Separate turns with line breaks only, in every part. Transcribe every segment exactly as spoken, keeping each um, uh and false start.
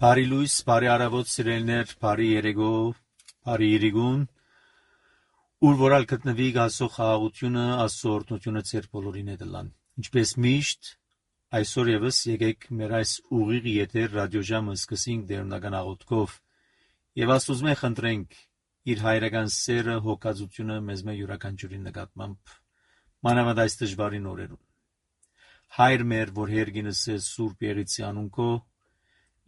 Բարի լույս, բարի առավոտ սիրելիներ, բարի երեկո, բարի իրիգուն, ուր որալ գտնվի Աստծո խաղաղությունը, Աստծո օրհնությունը ձեր բոլորին հետ լան։ Ինչպես միշտ, այսօր եւս եկեք մեր այս ուղիղ եթեր ռադիոժամը սկսենք դերնական աղոթքով եւ Աստծո խնդրենք իր հայրական սերը, հոգածությունը մեզ մե յուրաքանչյուրի նկատմամբ մանավանդ այս դժվարին օրերում։ Հայր մեր, որ հերգինս է Սուրբ Եղիցի անունքո,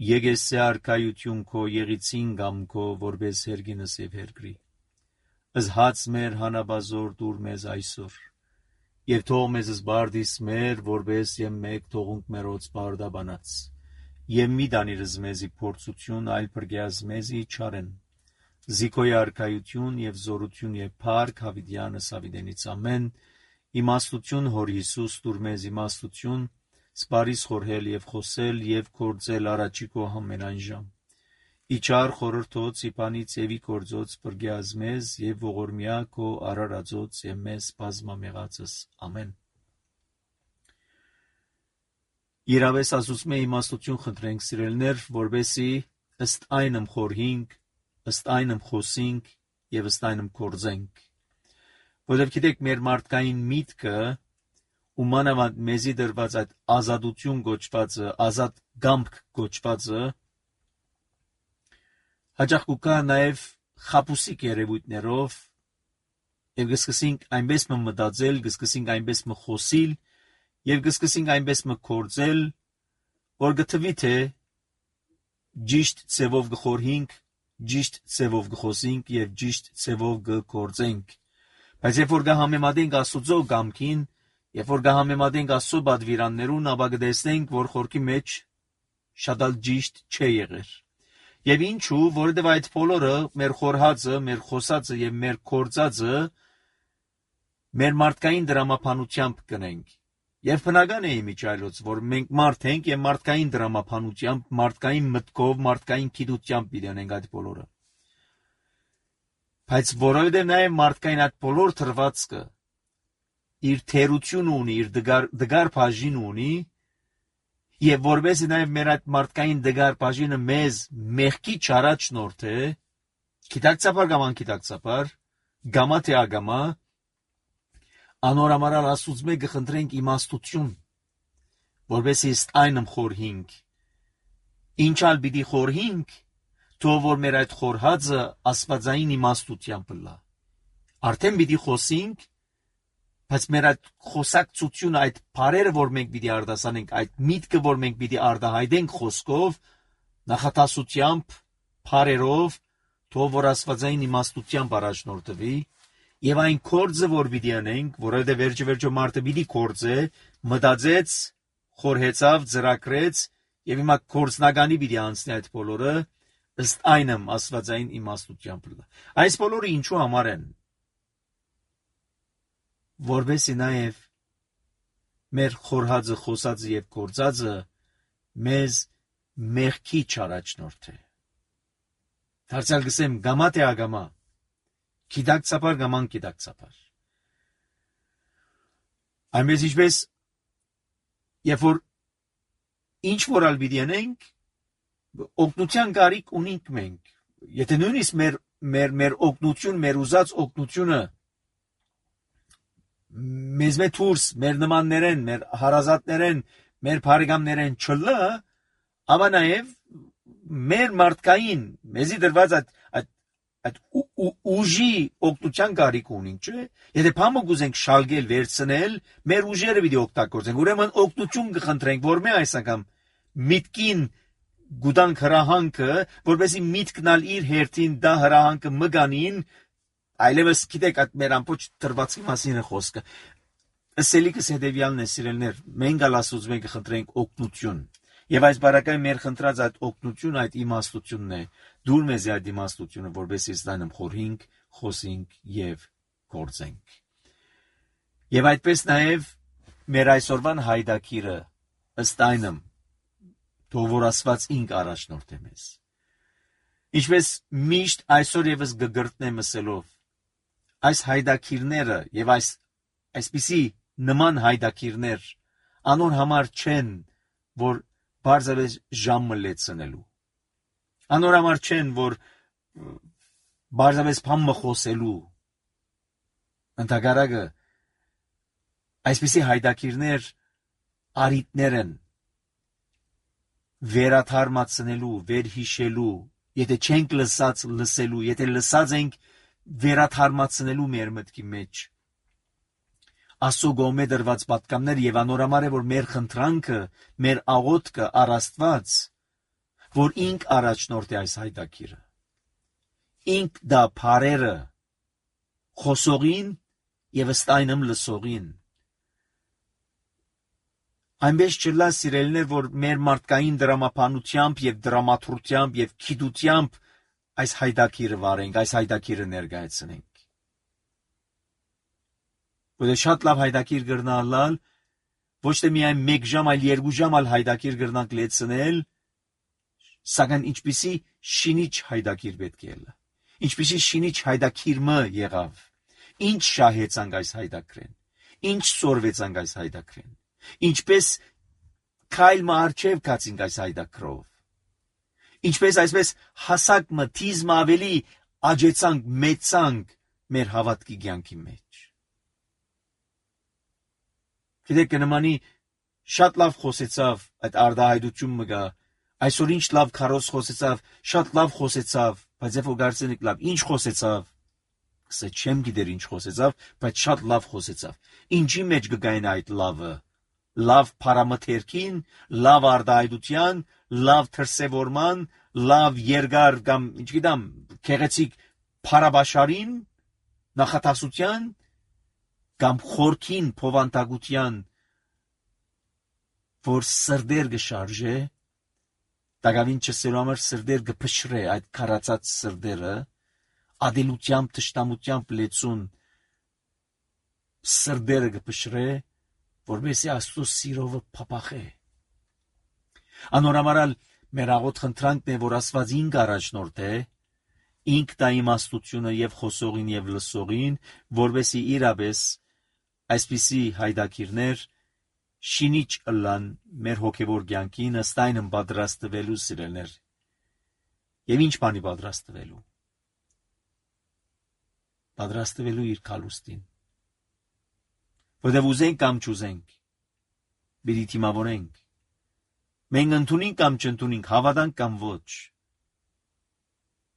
Եկես է արքայություն քո եղիցին գամ քո, որպես հերգինս եւ հերգրի։ Ըզհաց մեր հանաբազոր դուր մեզ այսօր, եւ թող մեզ զբարդիս մեր, որպես եւ մեկ թողունք մերոց բարդաբանած, եւ մի դանիրս մեզի փորձություն, այլ բրգյազ մեզի չարեն, զիքոյ արքայություն եւ զորություն եւ փառք հավիտյանս հավիտենից ամեն, իմաստություն հոր Հիսուս դուր մեզ իմաստություն, Սպարիս խորհել եւ խոսել եւ կործել առաջիկո համենայն ժամ։ Իչար խորհրդոց իպանից եւի կործոց բրգյազ մեզ եւ ողորմյա քո արարածոց եւ մեզ բազմամեղածս ամեն։ Իրավես ասուսմե իմաստություն խնդրենք սիրելներ, որբեսի ըստ այնմ խորհինք, ըստ այնմ խոսինք եւ ըստ այնմ կործենք։ Որովհետեւ գիտեք մեր մարդկային միտքը ու մանավանդ մեզի դրված այդ ազատություն գոչվածը, ազատ գամք գոչվածը, հաճախ կուկա նաև խապուսիկ երևույթներով, և գսկսինք այնպես մը մտածել, գսկսինք այնպես մը խոսիլ, և գսկսինք այնպես մը կործել, որ գթվի թե ճիշտ ծևով գխորհինք, ճիշտ ծևով գխոսինք և ճիշտ ծևով գկործենք։ Բայց երբ որ գհամեմատենք Աստուծո գամքին, Երբ որ գհամեմատենք Աստծո բադվիրաններուն, ապա կտեսնենք, որ խորքի մեջ շատ ալ ճիշտ չէ եղեր։ Եվ ինչու, որովհետև այդ բոլորը մեր խորհածը, մեր խոսածը եւ մեր կործածը մեր մարդկային դրամապանությամբ կնենք։ Եվ բնական է իմիջայլոց, որ մենք մարդ ենք եւ մարդկային դրամապանությամբ, մարդկային մտքով, մարդկային գիտությամբ պիտենենք այդ բոլորը։ Բայց որովհետև նաեւ մարդկային այդ բոլոր թրվածքը իր թերություն ունի, իր դգար, դգար բաժին ունի, եւ որովհետեւ նաեւ մեր այդ մարդկային դգար բաժինը մեզ մեղքի չարաչնորդ է, գիտակցաբար կամ անկիտակցաբար, գամա թե ագամա, անորամարալ Աստուծո գխնդրենք իմաստություն, որովհետեւ ըստ այնմ խորհինք, ինչալ պիտի խորհինք, թող որ մեր այդ խորհածը աստվածային իմաստությամբ լա։ Արդեն պիտի խոսենք, բայց մեր այդ խոսակցությունը, այդ բարերը, որ մենք պիտի արտասանենք, այդ միտքը, որ մենք պիտի արտահայտենք խոսքով, նախատասությամբ, բարերով, թող որ աստվածային իմաստությամբ առաջնորդվի, եւ այն կործը, որ պիտի անենք, որովհետեւ վերջը վերջո մարդը պիտի կործե, մտածեց, խորհեցավ, ծրագրեց, եւ հիմա կործնականի պիտի անցնի այդ բոլորը, ըստ այնմ աստվածային իմաստությամբ։ Այս բոլորը ինչու համար են։ Որբեսի նաև մեր խորհածը, խոսածը եւ կործածը մեզ մեղքի չարաչնորդ է։ Դարձյալ գսեմ գամա թե ագամա, գիտակցաբար կամ անկիտակցաբար։ Այնպես ինչպես երբ որ ինչ որալ պիտի անենք, օգնության կարիք ունենք մենք։ Եթե նույնիսկ մեր մեր մեր օգնություն, մեր ուզած օգնությունը մեզ մե դուրս, մեր նմաններեն, մեր հարազատներեն, մեր բարեկամներեն չլա, ապա նաև մեր մարդկային, մեզի դրված այդ այդ այդ ուժի օգնության կարիք ունենք, չէ՞։ Եթե փամը գուզենք շալգել, վերցնել, մեր ուժերը պիտի օգտագործենք։ Ուրեմն օգնություն կխնդրենք, որ մե այս անգամ միտքին գուտանք հրահանքը, որովհետեւ միտքն ալ իր հերթին դա հրահանքը մգանին, այլևս գիտեք այդ մեր ամբողջ դրվածքի մասին է խոսքը։ Ասելիքս հետևյալն է, սիրելներ, մենք ալ Աստծո կխնդրենք օգնություն։ Եվ այս բարակային մեր խնդրած այդ օգնություն, այդ իմաստությունն է։ Դուր մեզ այդ իմաստությունը, որովհետեւ ստանամ խորհինք, խոսինք եւ կործենք։ Եվ այդպես նաեւ մեր այսօրվան հայդակիրը ըստ այնմ թող որ Աստված ինք առաջնորդ է մեզ։ Ինչպես միշտ այսօր եւս գգրտնեմ ասելով, այս հայդակիրները եւ այս այսպիսի նման հայդակիրներ անոր համար չեն, որ բարձրապես ժամը լեցնելու։ Անորամար չեն, որ բարձրապես փամը խոսելու ընդհակառակը այսպիսի հայդակիրներ արիտներ են վերաթարմացնելու, վերհիշելու, եթե չենք լսած լսելու, եթե լսած ենք վերաթարմացնելու մեր մտքի մեջ Աստծո գոմե դրված պատկաններ եւ անորամար է որ մեր խնդրանքը, մեր աղոթքը առ Աստված, որ ինք առաջնորդ է այս հայդակիրը։ Ինք դա բարերը խոսողին եւ ըստայնմ լսողին։ Այնպես չլա սիրելիներ, որ մեր մարդկային դրամապանությամբ եւ դրամատուրգությամբ եւ քիդությամբ այս հայդակիրը վարենք, այս հայդակիրը ներկայացնենք։ Որը շատ լավ հայդակիր գրնալալ, ոչ թե միայն մեկ ժամ, այլ երկու ժամ ալ հայդակիր գրնանք լեցնել, սակայն ինչպիսի շինիչ հայդակիր պետք է լա։ Ինչպիսի շինիչ հայդակիր մը եղավ։ Ինչ շահեցանք այս հայդակրեն։ Ինչ սորվեցանք այս հայդակրեն։ Ինչպես քայլ մը արջև կացինք այս հայդակրով։ Ինչպես այսպես հասակ մը թիզ մը ավելի աջեցանք, մեծանք մեր հավատքի կյանքի մեջ։ Գիտեք, նմանի շատ լավ խոսեցավ այդ արդահայտություն մը գա, այսօր ինչ լավ քարոզ խոսեցավ, շատ լավ խոսեցավ, բայց երբ որ գարցենիկ լավ, ինչ խոսեցավ, ասա չեմ գիտեր ինչ խոսեցավ, բայց շատ լավ խոսեցավ։ Ինչի մեջ կգային այդ լավը։ Լավ փարամթերքին, լավ արդահայտության, լավ թրսևորման, լավ երկար կամ ինչգիտեմ, քեղեցիկ փարաբաշարին, նախատասության կամ խորքին փովանտագության, որ սրդեր գշարժե, տակավին չսելու համար սրդեր գփշրե այդ քարացած սրդերը, ադելությամբ, թշնամությամբ լեցուն սրդերը գփշրե, որովհետեւ Աստծո սիրովը փափախե։ Անորամարալ մեր աղոտ խնդրանքն է, որ Աստված ինք առաջնորդ է, ինք տա իմաստությունը եւ խոսողին եւ լսողին, որովհետեւ իրապես այսպիսի հայդակիրներ շինիչ ըլլան մեր հոգևոր կյանքին ըստայն պատրաստվելու սիրելներ։ Եվ ինչ բանի պատրաստվելու։ Պատրաստվելու իր քալուստին։ Որտեղ ուզենք կամ չուզենք, պիտի թիմավորենք։ Մենք ընդունենք կամ չընդունենք, հավատանք կամ ոչ։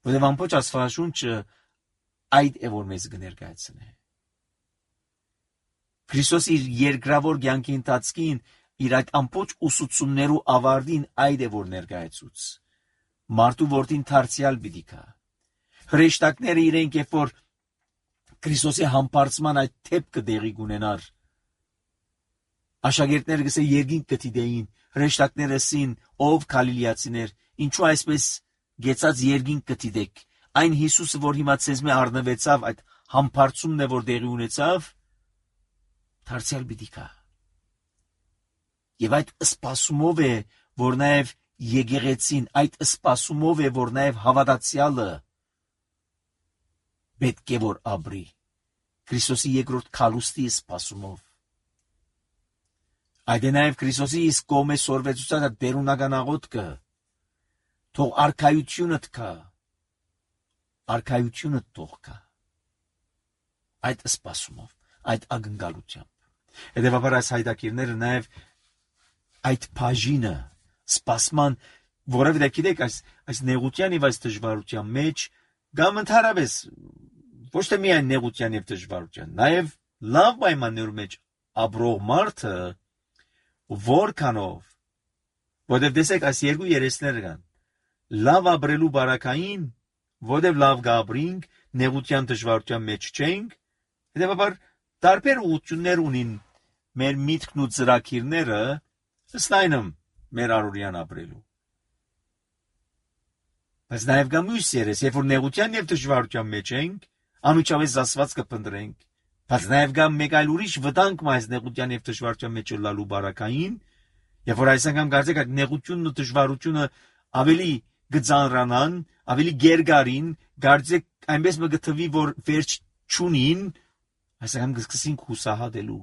Որտեղ ամբողջ Աստվածաշունչը այդ է որ մեզ կներկայացնի։ Քրիստոս իր երկրավոր կյանքի ընթացքին իր այդ ամբողջ ուսուցումներու ավարտին այդ է որ ներկայացուց։ Մարդու որդին դարձյալ պիտի գա։ Հրեշտակները իրենք երբ որ Քրիստոսի համբարձման այդ թեփքը դեղի կունենար, աշակերտները գսե երկինք կդիտեին, հրեշտակները ասին, ով գալիլեացիներ, ինչու այսպես գեցած երկինք կդիտեք։ Այն Հիսուսը, որ հիմա ցեզ մե առնվեցավ, այդ համբարձումն է որ դեղի ունեցավ, դարձյալ պիտի գա։ Եվ այդ սպասումով է, որ նաև եկեղեցին, այդ սպասումով է, որ նաև հավատացյալը պետք է որ ապրի։ Քրիստոսի երկրորդ քալուստի սպասումով։ Այդ է նաև Քրիստոսի իսկ կողմէ սորվեցուցած դերունական աղոթքը։ Թող արքայությունը թքա։ Արքայությունը թող կա։ Այդ սպասումով, այդ ակնկալությամբ։ Հետևաբար այս հայդակիրները նաև այդ բաժինը սպասման, որովհետև գիտեք այս այս նեղության եւ այս դժվարության մեջ կամ ընդհանրապես ոչ թե միայն նեղության եւ դժվարության, նաև լավ պայմաններում մեջ ապրող մարդը որքանով, որովհետև տեսեք այս երկու երեսները կան, լավ ապրելու բարակային, որովհետև լավ գաբրինք, նեղության դժվարության մեջ չենք, հետևաբար տարբեր ուղղություններ ունին մեր միտքն ու ծրագիրները ըստայնում մեր առօրյան ապրելու։ Բայց նաև կա մյուս երես, երբ որ նեղության եւ դժվարության մեջ ենք, անմիջապես Աստված կփնտրենք, բայց նաև կա մեկ այլ ուրիշ վտանգ այս նեղության եւ դժվարության մեջ լալու բարակային, երբ որ այս անգամ կարծեք այդ նեղությունն ու դժվարությունը ավելի գծանրանան, ավելի գերգարին, կարծեք այնպես մը գտվի, որ վերջ չունին, այս անգամ կսկսենք հուսահատելու։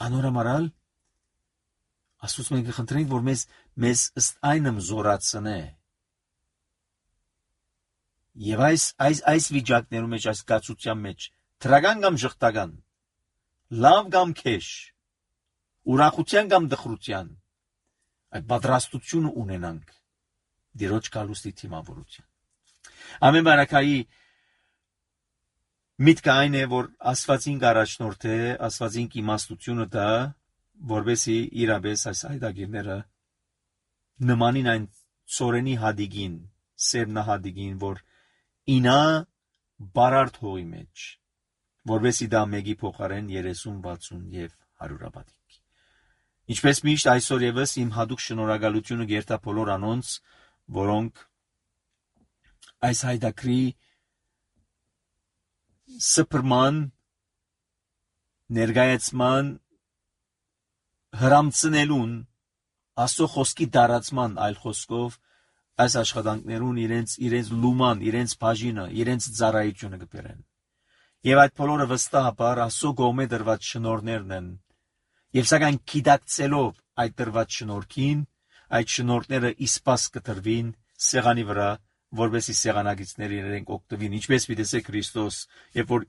Անորամարալ Աստծուց մենք կխնդրենք, որ մեզ մեզ ըստ այնմ զորացնե։ Եվ այս այս այս վիճակներում մեջ, այս կացության մեջ, թրական կամ ժխտական, լավ կամ քեշ, ուրախության կամ դխրության, այդ պատրաստությունը ունենանք Տիրոջ գալուստի թիմավորության։ Ամեն բարակայի միտքը այն է, որ Աստվածին առաջնորդ է, Աստվածին իմաստությունը դա, որովհետեւ իրապես այս հայտագիրները նմանին այն ծորենի հադիգին, սերմնահադիգին, որ ինա բարարդ հողի մեջ, որովհետեւ դա մեկի փոխարեն երեսուն, վաթսուն եւ հարյուրապատիկ։ Ինչպես միշտ այսօր եւս իմ հadouk շնորհակալությունը գերտա բոլոր անոնց, որոնք այս հայտակրի սփռման ներգայացման հրամցնելուն Աստծո խոսքի դարացման այլ խոսքով այս աշխատանքներուն իրենց իրենց լուման, իրենց բաժինը, իրենց ծառայությունը կբերեն։ Եվ այդ բոլորը վստահաբար Աստծո կողմէ դրված շնորհներն են։ Եվ սակայն գիտակցելով այդ դրված շնորհքին, այդ շնորհները իսպաս կտրվին սեղանի վրա, որովհետեւ սեղանագիցները իրենք օգտվին, ինչպես պիտեսե Քրիստոս, երբ որ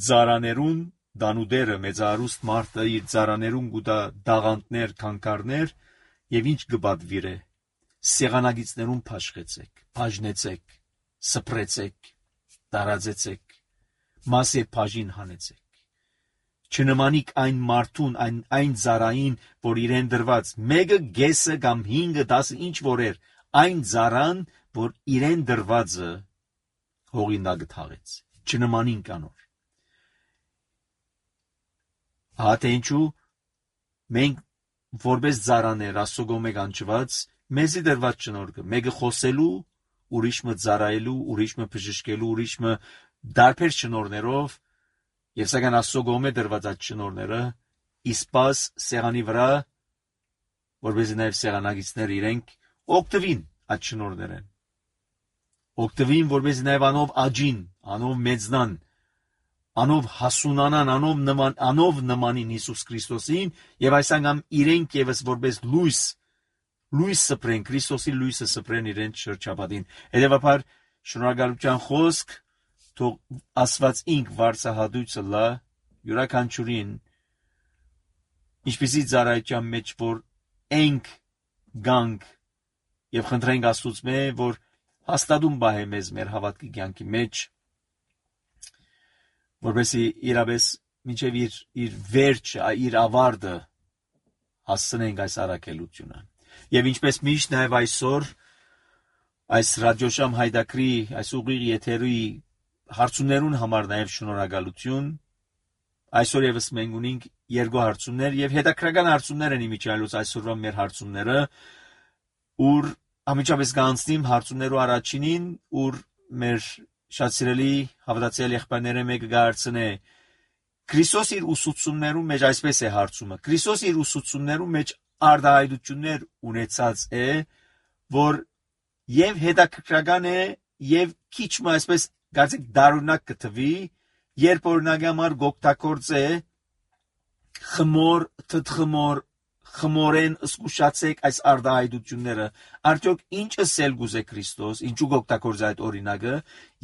ծառաներուն դանուդերը մեծարուստ մարդը իր ծառաներուն գուտա դաղանտներ, քանքարներ, եւ ինչ կբադվիր է, սեղանագիցներուն փաշխեցեք, բաժնեցեք, սփռեցեք, տարածեցեք, մասե բաժին հանեցեք։ Չնմանիք այն մարդուն, այն այն ծառային, որ իրեն դրված մեկը գեսը կամ հինգը դասը ինչ որ էր, այն ծառան, որ իրեն դրվածը հողինակ թաղեց։ Չնմանին կանոր։ Հա թե ինչու մենք որպես ծառաներ Աստծո կողմէ կանչված մեզի դրված շնորհքը, մեկը խոսելու, ուրիշը ծառայելու, ուրիշը բժշկելու, ուրիշը դարբեր շնորհներով, եւ սակայն Աստծո կողմէ դրված այդ շնորհները իսպաս սեղանի վրա, որովհետեւ նաեւ սեղանագիցները իրենք օգտվին այդ շնորհներեն։ Օգտվին, որովհետեւ նաեւ անով աջին, անով մեծնան, անով հասունանան, անով նման, անով նմանին Հիսուս Քրիստոսին, եւ այս անգամ իրենք եւս որպես լույս, լույս սփռեն, Քրիստոսի լույսը սփռեն իրենց շրջապատին։ Հետեւաբար շնորհակալության խոսք թող Աստված ինք վարձահատույցը լա յուրաքանչյուրին, ինչպեսի ծառայության մեջ որ ենք գանք եւ խնդրենք Աստծուց մե որ հաստատում բահե մեզ մեր հավատքի կյանքի մեջ, որովհետեւ իրապես մինչեւ իր իր վերջը, իր ավարտը հասցնենք այս առաքելությունը։ Եվ ինչպես միշտ նաեւ այսօր այս ռադիոշամ հայտակրի, այս ուղիղ եթերի հարցումներուն համար նաեւ շնորհակալություն։ Այսօր եւս մենք ունենք երկու հարցումներ եւ հետաքրական հարցումներ են իմիջիալուց այսօրվա մեր հարցումները, ուր ամիջապես կանցնիմ հարցումներու առաջինին, ուր մեր շատ սիրելի հավատացյալ եղբայրները մեկը գարցնե Քրիստոս իր ուսուցումներում մեջ այսպես է հարցումը. Քրիստոս իր ուսուցումներում մեջ արտահայտություններ ունեցած է, որ եւ հետաքրքրական է եւ քիչ մ այսպես գարցեք դարունակ կթվի, երբ օրինակի համար գոկտակորձ է խմոր, թթխմոր, խմորեն զգուշացեք այս արտահայտությունները, արդյոք ինչ ասել գուզե Քրիստոս, ինչու գոկտակորձ այդ օրինակը,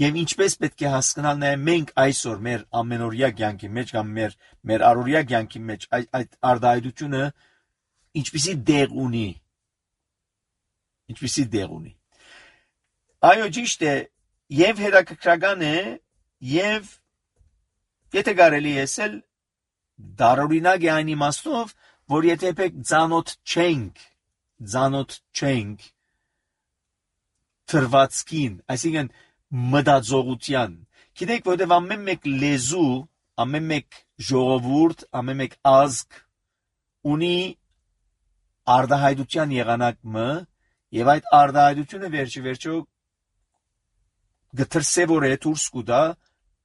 եւ ինչպես պետք է հասկանալ նաեւ մենք այսօր մեր ամենօրյա կյանքի մեջ կամ մեր մեր առօրյա կյանքի մեջ այդ արտահայտությունը ինչպիսի դեղ ունի, ինչպիսի դեղ ունի։ Այո, ճիշտ է, եւ հետաքրքրական է, եւ եթե կարելի է ասել դարօրինակ է այն իմաստով, որ եթե պետք ծանոթ չենք, ծանոթ չենք թրվածքին, այսինքն մտածողության, գիտեք, որտեղ ամեն մեկ լեզու, ամեն մեկ ժողովուրդ, ամեն մեկ ազգ ունի արտահայտության եղանակը, եւ այդ արտահայտությունը վերջի վերջո գտրսեվոր է դուրս կուտա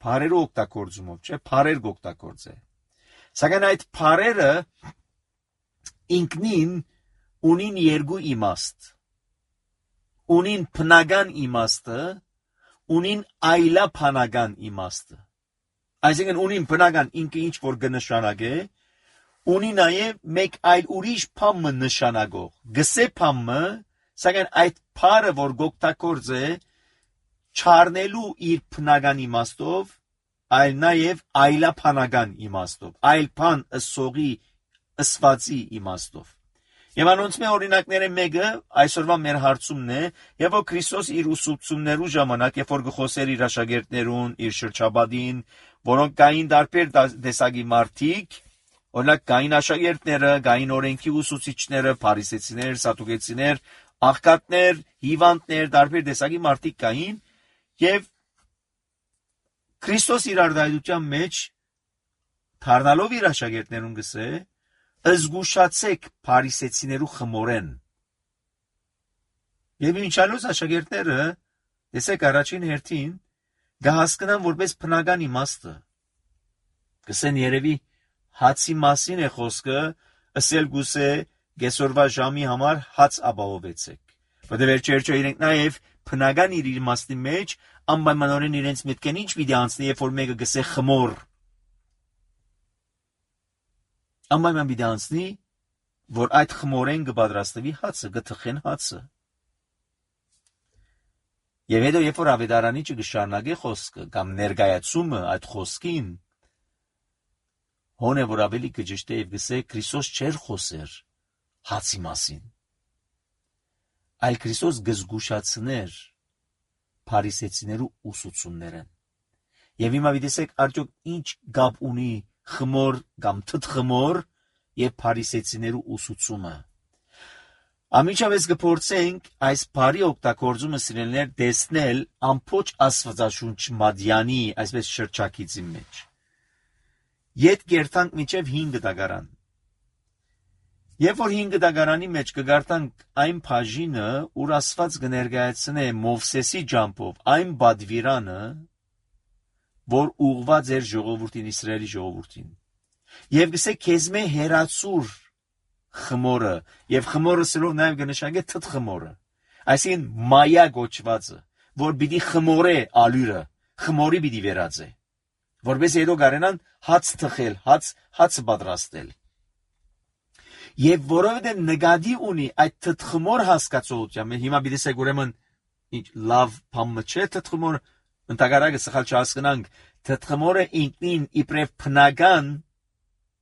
բարերու օգտագործումով, չէ, բարեր գօգտագործ է։ Սակայն այդ բարերը ինքնին ունին երկու իմաստ, ունին բնական իմաստը, ունին այլաբանական իմաստը։ Այսինքն ունին բնական ինքը ինչ որ կնշանակե, ունի նաև մեկ այլ ուրիշ փամը նշանակող։ Գսե փամը, սակայն այդ փարը, որ գոկտակորձ է, չառնելու իր փնական իմաստով, այլ նաև այլափանական իմաստով, այլ փան ըսողի ըսվածի իմաստով։ Եվ անոնց մե օրինակները մեկը այսօրվա մեր հարցումն է, եւ որ Քրիստոս իր ուսուցումներու ժամանակ, երբ որ գխոսեր իր աշակերտներուն, իր շրջաբադին, որոնք կային դարբեր տեսակի մարդիկ, օրինակ կային աշակերտները, կային օրենքի ուսուցիչները, փարիսեցիներ, սատուկեցիներ, աղքատներ, հիվանդներ, դարբեր տեսակի մարդիկ կային, եւ Քրիստոս իր արտահայտության մեջ թարնալով իր աշակերտներուն գսե, «Զգուշացեք փարիսեցիներու խմորեն»։ Եվ ինչալուց աշակերտները, տեսեք առաջին հերթին, գահասկնան որպես բնական իմաստը։ Գսեն երևի հացի մասին է խոսքը, ըսել գուսե գեսորվա ժամի համար հաց ապահովեցեք։ Որտեղ վերջերջո իրենք նաև բնական իր իմաստի մեջ անպայմանորեն իրենց մտքեն ինչ պիտի անցնի, երբ որ մեկը գսե խմոր։ Անպայման պիտի անցնի, որ այդ խմորեն կպատրաստվի հացը, կթխեն հացը։ Եվ հետո երբ որ ավետարանիչը կշարունակի խոսքը կամ ներկայացումը այդ խոսքին, հոն է որ ավելի կճշտե եւ գսե Քրիստոս չէր խոսեր հացի մասին, այլ Քրիստոս գզգուշացներ փարիսեցիներու ուսուցումները։ Եվ հիմա դիտեք արդյոք ինչ գապ ունի խմոր կամ թթխմոր եւ փարիսեցիներու ուսուցումը։ Ամիջավես կփորձենք այս բարի օգտագործումը սիրելիներ տեսնել ամբողջ Աստվածաշունչ Մադյանի այսպես շրջակիցի մեջ։ Ետ կերտանք մինչև հինգ դագարան։ Երբ որ հինգ դագարանի մեջ կգարտանք այն բաժինը, ուր Աստված կներկայացնե Մովսեսի ջամփով այն բադվիրանը, որ ուղված էր ժողովրդին, Իսրայելի ժողովրդին։ Եվ գսե քեզմե հերացուր խմորը, եւ խմորը սելով նաեւ կնշանակե թթխմորը, այսինքն մայա գոչվածը, որ պիտի խմորե ալյուրը, խմորի պիտի վերածե, որպես հետո կարենան հաց թխել, հաց հաց պատրաստել։ Եվ որովհետեւ նկատի ունի այդ թթխմոր հասկացողությամբ, հիմա պիտի ասեք ուրեմն ինչ լավ բան չէ թթխմոր, ընդհանրապես սխալ չհասկանանք, թթխմորը ինքնին իբրև բնական,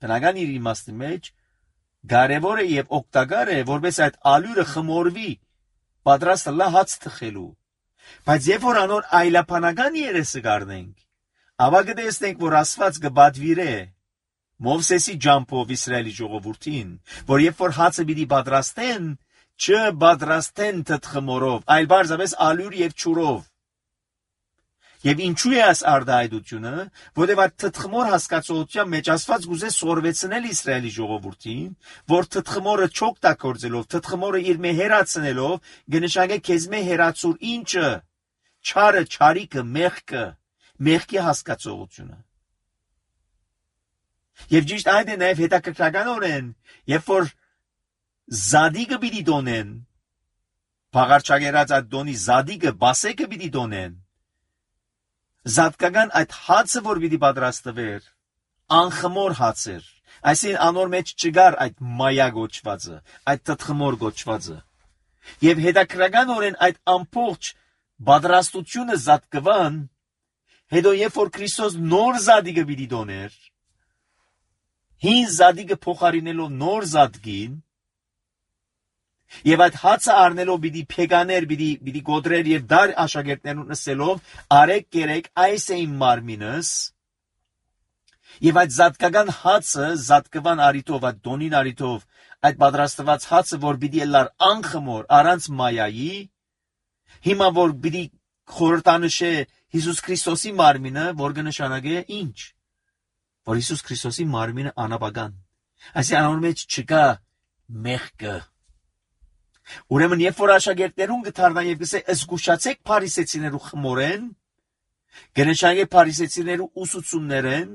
բնական իր իմաստի մեջ կարևոր է եւ օգտակար է, որպես այդ ալյուրը խմորվի, պատրաստը լա հաց թխելու։ Բայց երբ որ անոր այլապանական երեսը կառնենք, ապա կտեսնենք, որ Աստված կբադվիրե Մովսեսի ջամփով Իսրայելի ժողովրդին, որ երբ որ հացը պիտի պատրաստեն, չպատրաստեն թթխմորով, այլ բարձրապես ալյուր եւ ճուրով։ Եվ ինչու է այս արտահայտությունը, որտեղ այդ թթխմոր հասկացողության մեջ Աստված գուզե սորվեցնել Իսրայելի ժողովրդին, որ թթխմորը չօգտագործելով, թթխմորը իր մե հերացնելով, կնշանակե քեզ մե հերացուր ինչը, չարը, չարիքը, մեղքը, մեղքի հասկացողությունը։ Եվ ճիշտ այդ է նաև հետաքրքրականորեն, երբ որ զադիկը պիտի դոնեն, փաղարչագերած այդ դոնի զադիկը, բասեկը պիտի դոնեն, զատկական այդ հացը, որ պիտի պատրաստվեր, անխմոր հաց էր, այսինքն անոր մեջ չգար այդ մայա գոչվածը, այդ թթխմոր գոչվածը։ Եվ հետաքրքրականորեն այդ ամբողջ պատրաստությունը զատկվան, հետո երբ որ Քրիստոս նոր զադիկը պիտի դոներ, հին զադիկը փոխարինելով նոր զադկին, եւ այդ հացը առնելով պիտի փեգաներ, պիտի պիտի գոդրեր եւ դար աշակերտներուն ասելով, արեք կերեք այս է իմ մարմինս, եւ այդ զատկական հացը զատկվան արիտով, այդ դոնին արիտով, այդ պատրաստված հացը, որ պիտի լար անխմոր, առանց մայայի, հիմա որ պիտի խորհրդանշե Հիսուս Քրիստոսի մարմինը, որ կնշանակե ինչ, որ Հիսուս Քրիստոսի մարմինը անապական, այսինքն անոր մեջ չկա մեղքը։ Ուրեմն երբ որ աշակերտներուն գթարնա եւ գսե զգուշացեք փարիսեցիներու խմորեն, կնշանակե փարիսեցիներու ուսուցումներեն,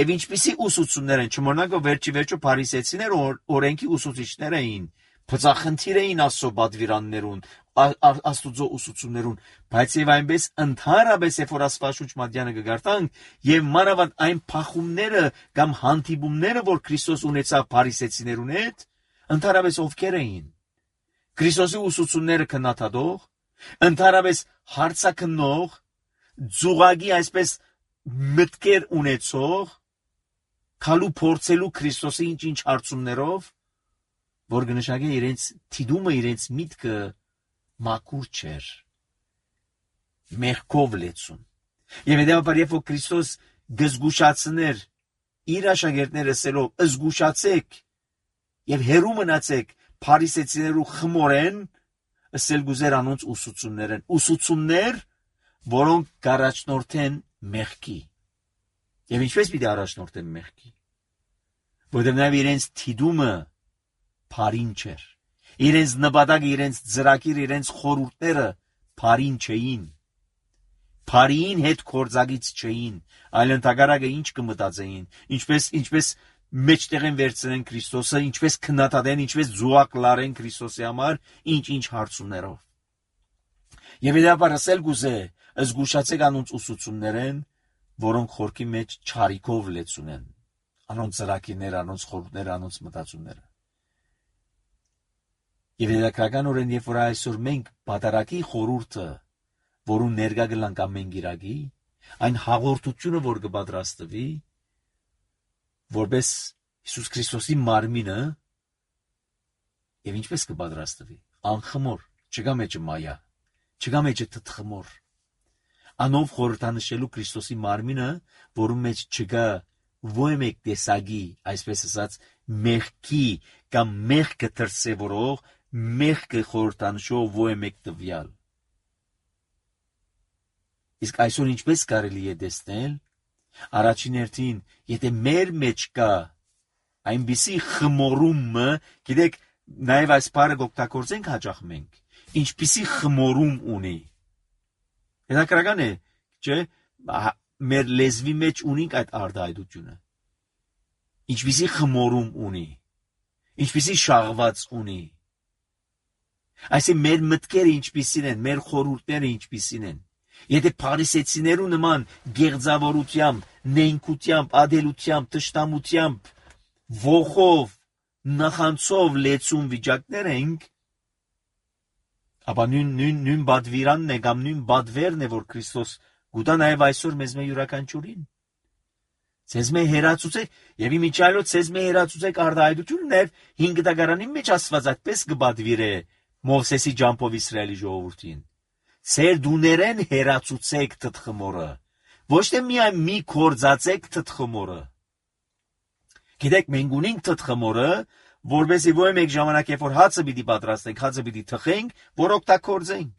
եւ ինչպիսի ուսուցումներ են, չմոռնանք որ վերջի վերջո փարիսեցիները օրենքի ուսուցիչներ էին, Փծախնդիր էին Աստծո բադվիրաններուն, Աստուծո ուսուցումներուն, բայց եւ այնպես ընդհանրապես երբ որ Աստվածաշունչ մատյանը կգարտանք եւ մանավանդ այն փախումները կամ հանդիպումները, որ Քրիստոս ունեցավ փարիսեցիներուն հետ, ընդհանրապես ովքեր էին։ Քրիստոսի ուսուցումները քննադատող, ընդհանրապես հարցաքննող, ձուղագի այսպես մտքեր ունեցող, քալու փորձելու Քրիստոսի ինչ-ինչ հարցումներով, որ կնշանակե իրենց թիդումը, իրենց միտքը մաքուր չէր, մեղքով լեցուն։ Եվ հետևաբար երբ որ Քրիստոս գզգուշացներ իր աշակերտները ասելով, զգուշացեք եւ հեռու մնացեք փարիսեցիներու խմորեն, ասել գուզեր անոնց ուսուցումներ են, ուսուցումներ, որոնք կառաջնորդեն մեղքի։ Եվ ինչպես պիտի առաջնորդեն մեղքի։ Որտեղ նաև իրենց թիդումը փարին չէր։ Իրենց նպատակը, իրենց ծրագիրը, իրենց խորհուրդները փարին չէին։ Փարին հետ կորձագից չէին, այլ ընդհակառակը ինչ կմտածեին, ինչպես ինչպես մեջտեղ են վերցնեն Քրիստոսը, ինչպես քննադատեն, ինչպես զուգակ լարեն Քրիստոսի համար, ինչ-ինչ հարցումներով։ Եվ հետո ասել գուզե, զգուշացեք անոնց ուսուցումներեն, որոնք խորքի մեջ չարիքով լեցունեն, անոնց ծրագիրները, անոնց խորհուրդները, անոնց մտածումները։ Եվ հետաքրքրականորեն, երբ որ այսօր մենք բادرակի խորհուրդը, որուն ներկա գլանք ամեն գիրագի, այն հաղորդությունը, որ կպատրաստվի, որպես Հիսուս Քրիստոսի մարմինը, եւ ինչպես կպատրաստվի, անխմոր, չկա մեջը մայա, չկա մեջը թթխմոր, անով խորհրդանշելու Քրիստոսի մարմինը, որում մեջ չկա ոչ մեկ տեսակի, այսպես ասած, մեղքի կամ մեղքը դրսևորող, մեղքը խորհրդանշող ոչ մեկ տվյալ։ Իսկ այսօր ինչպես կարելի է տեսնել, առաջին հերթին, եթե մեր մեջ կա այնպիսի խմորումը, գիտեք, նաև այս բառը օգտագործենք հաճախ մենք, ինչպիսի խմորում ունի։ Հետաքրքրական է, չէ՞, մեր լեզվի մեջ ունենք այդ արտահայտությունը։ Ինչպիսի խմորում ունի, ինչպիսի շաղված ունի։ Այսինքն մեր մտքերը ինչպիսին են, մեր խորհուրդները ինչպիսին են։ Եթե փարիսեցիներու նման գեղձավորությամբ, նենգությամբ, ադելությամբ, տշտամությամբ, ողով, նախանցով լեցուն վիճակներ ենք, ապա նույն նույն նույն բադվիրանն է կամ նույն բադվերն է, որ Քրիստոս գուտա նաև այսօր մեզ մե յուրաքանչյուրին։ Ցեզ մե հերացուցեք եւ իմիջայլոց ցեզ մե հերացուցեք արտահայտությունը նաև հինգ դագարանի մեջ Աստված այդպես կբադվիրե Մովսեսի ջամփով Իսրայելի ժողովրդին։ Ձեր դուներեն հերացուցեք թթխմորը, ոչ թե միայն մի կորձացեք թթխմորը։ Գիտեք, մենք ունենք թթխմորը, որովհետեւ ոչ մեկ ժամանակ երբ որ հացը պիտի պատրաստենք, հացը պիտի թխենք, որ օգտագործենք։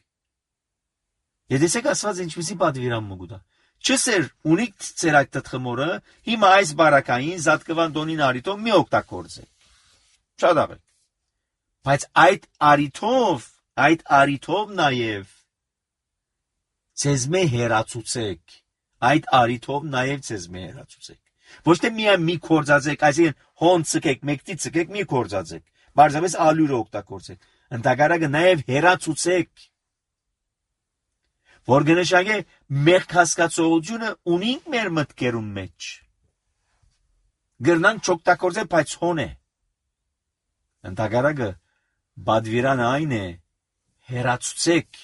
Եթե Աստված ինչպեսի պատվիրան մգուտա։ Չսեր ունիք ձեր այդ թթխմորը, հիմա այս բարակային զատկվան դոնին արիտով մի օգտագործեք։ Շատ աղել։ Բայց այդ արիթով, այդ արիթով նաև ցեզ մե հերացուցեք, այդ արիթով նաև ցեզ մե հերացուցեք։ Ոչ թե միայն մի կորձացեք, այսինքն հոն ցկեք, մեկտի ցկեք, մի կորձացեք, բարձրապես ալյուրը օգտագործեք։ Ընդհակառակը նաև հերացուցեք, որ գնշագե մեր հասկացողությունը ունենք մեր մտքերում մեջ։ Գրնան չօգտագործել, բայց հոն է։ Ընդհակառակը բադվիրանը այն է, հերացուցեք,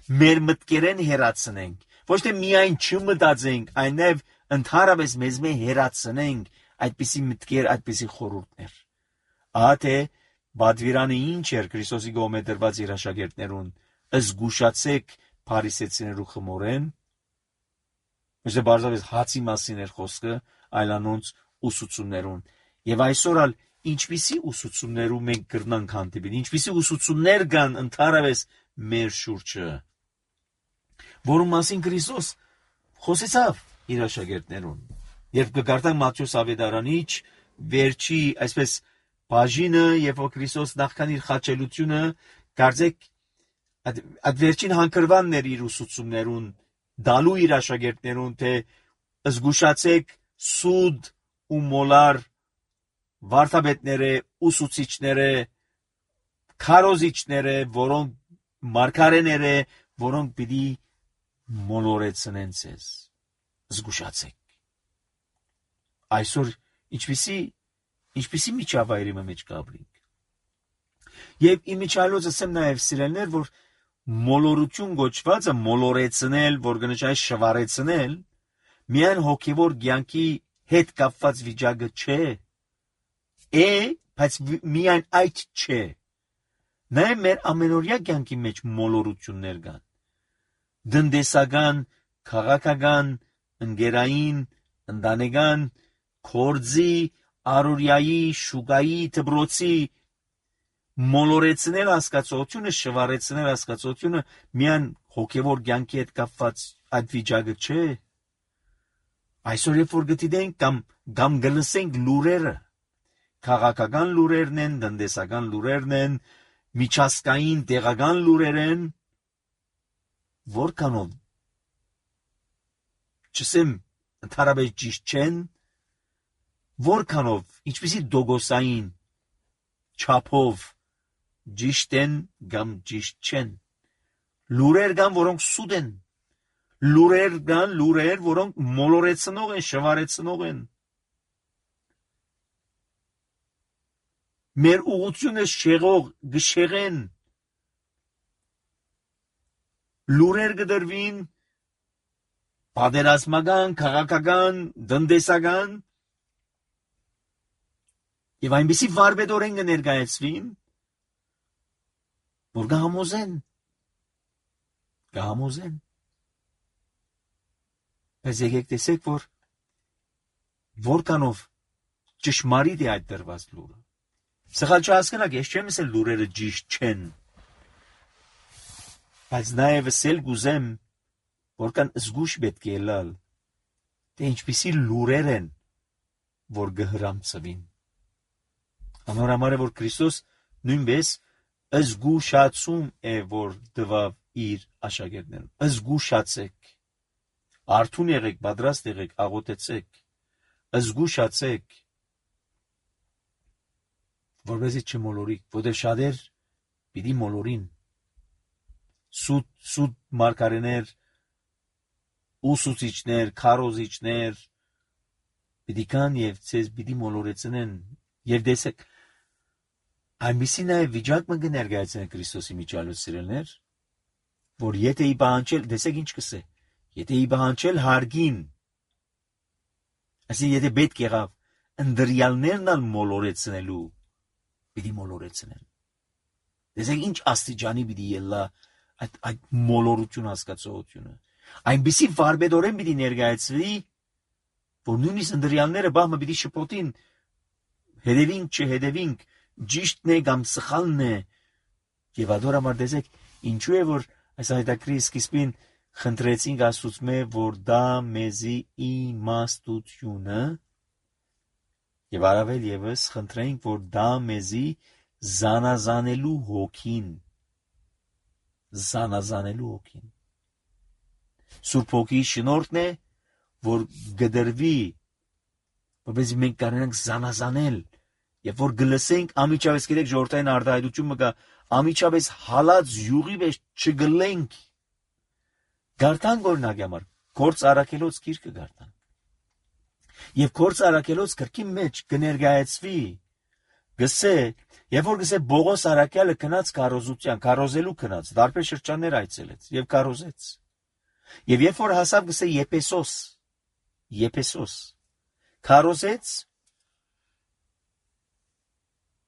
մեր մտքերեն հերացնենք, ոչ թե միայն չմտածենք, այն նաև ընդհանրապես մեզ մե հերացնենք այդպիսի մտքեր, այդպիսի խորհուրդներ։ Ահա թե բադվիրանը ինչ էր Քրիստոսի կողմէ դրված իր աշակերտներուն, զգուշացեք փարիսեցիներու խմորեն, ոչ թե բարձրապես հացի մասին էր խոսքը, այլ անոնց ուսուցումներուն։ Եվ այսօր ալ ինչպիսի ուսուցումներու մենք կրնանք հանդիպել, ինչպիսի ուսուցումներ կան ընդհանրապես մեր շուրջը, որում մասին Քրիստոս խոսեցավ իր աշակերտներուն։ Երբ կգարտանք Մատթեոս ավետարանիչ վերջի այսպես բաժինը, երբ որ Քրիստոս նախքան իր խաչելությունը, կարծեք այդ վերջին հանգրվանն էր իր ուսուցումներուն, դալու իր աշակերտներուն, թե զգուշացեք սուդ ու մոլար վարդապետները, ուսուցիչները, քարոզիչները, որոնք մարգարեները, որոնք պիտի մոլորեցնեն ցեզ։ Զգուշացեք։ Այսօր ինչպիսի ինչպիսի միջավայրի մեջ կապրինք։ Եվ իմիջիալոց ասեմ նաև սիրելներ, որ մոլորություն գոչվածը մոլորեցնել, որ գնաճայ շվարեցնել, միայն հոգևոր կյանքի հետ կապված վիճակը չէ։ Է, բայց միայն այդ չէ։ Նաև մեր ամենօրյա կյանքի մեջ մոլորություններ կան։ Դնդեսական, քաղաքական, ընկերային, ընտանեկան, կորձի, արորիայի, շուկայի, դպրոցի մոլորեցնել հասկացությունը, շվարեցնել հասկացությունը միայն հոգևոր կյանքի հետ կապված այդ վիճակը չէ։ Այսօր երբ որ գտիդենք կամ կամ գլսենք լուրերը, քաղաքական լուրերն են, տնտեսական լուրերն են, միջազգային տեղական լուրեր են, որքանով չսեմ ընդհանրապես ճիշտ չեն, որքանով ինչպիսի դոգոսային չափով ճիշտ են կամ ճիշտ չեն։ Լուրեր կան, որոնք սուտ են։ Լուրեր կան, լուրեր, որոնք մոլորեցնող են, շվարեցնող են։ Մեր ուղղությունը շեղող, գշեղեն։ Լուրեր կդրվին պատերազմական, քաղաքական, տնտեսական եւ այնպիսի վարպետորեն կներկայացվին, որ կհամոզեն, կհամոզեն։ Բայց եկեք տեսեք, որ որքանով ճշմարիտ է այդ դրված լուրը։ Սխալ չհասկանաք, ես չեմ ասել լուրերը ճիշտ չեն, բայց նաև ասել կուզեմ, որքան զգուշ պետք է լալ, թե ինչպիսի լուրեր են, որ կհրամցվին։ Անորամար է, որ Քրիստոս նույնպես զգուշացում է, որ դվավ իր աշակերտներուն։ Զգուշացեք, արթուն եղեք, պատրաստ եղեք, աղոթեցեք, զգուշացեք, որպեսզի չմոլորիք, որտեղ շատեր պիտի մոլորին։ Սուտ սուտ մարգարեներ, ուսուցիչներ, քարոզիչներ պիտի կան եւ ցեզ պիտի մոլորեցնեն։ Եվ տեսեք, այնպիսի նաև վիճակ մը կներկայացնեն Քրիստոսի միջալոց սիրելներ, որ եթե ի բանջել, տեսեք ինչ կսե, եթե ի բանջել հարգին, ասի եթե պետք եղավ ընդրյալներն ալ մոլորեցնելու, պիտի մոլորեցնեն։ Տեսեք ինչ աստիճանի պիտի ելա այդ այդ մոլորություն հասկացողությունը։ Այնպիսի վարպետորեն պիտի ներկայացվի, որ նույնիսկ ընդրյալները բահմը պիտի շփոթին, հետևինք չհետևինք, ճիշտն է կամ սխալն է։ Եվ ադոր համար տեսեք, ինչու է որ այս հայտակրի սկիզբին խնդրեցինք Աստծուց, որ դա մեզի իմաստությունը եւ առավել եւս խնդրենք, որ դա մեզի զանազանելու հոգին, զանազանելու հոգին։ Սուրբ Հոգի շնորհքն է, որ գդրվի, որպեսզի մենք կարողանանք զանազանել, եւ որ գլսենք ամիջապես գիտեք ժողովրդային արտահայտությունը կա, ամիջապես հալած յուղի մեջ չգլենք։ Գարտան օրինակ համար Գործ Առաքելոց գիրքը գարտան։ Եվ Գործ Առաքելոց գրքի մեջ կներկայացվի, գսե, եւ որ գսե Բողոս Առաքյալը գնաց քարոզության, քարոզելու գնաց, դարբեր շրջաններ այցելեց եւ քարոզեց։ Եվ երբ որ հասավ գսե Եփեսոս, Եփեսոս քարոզեց,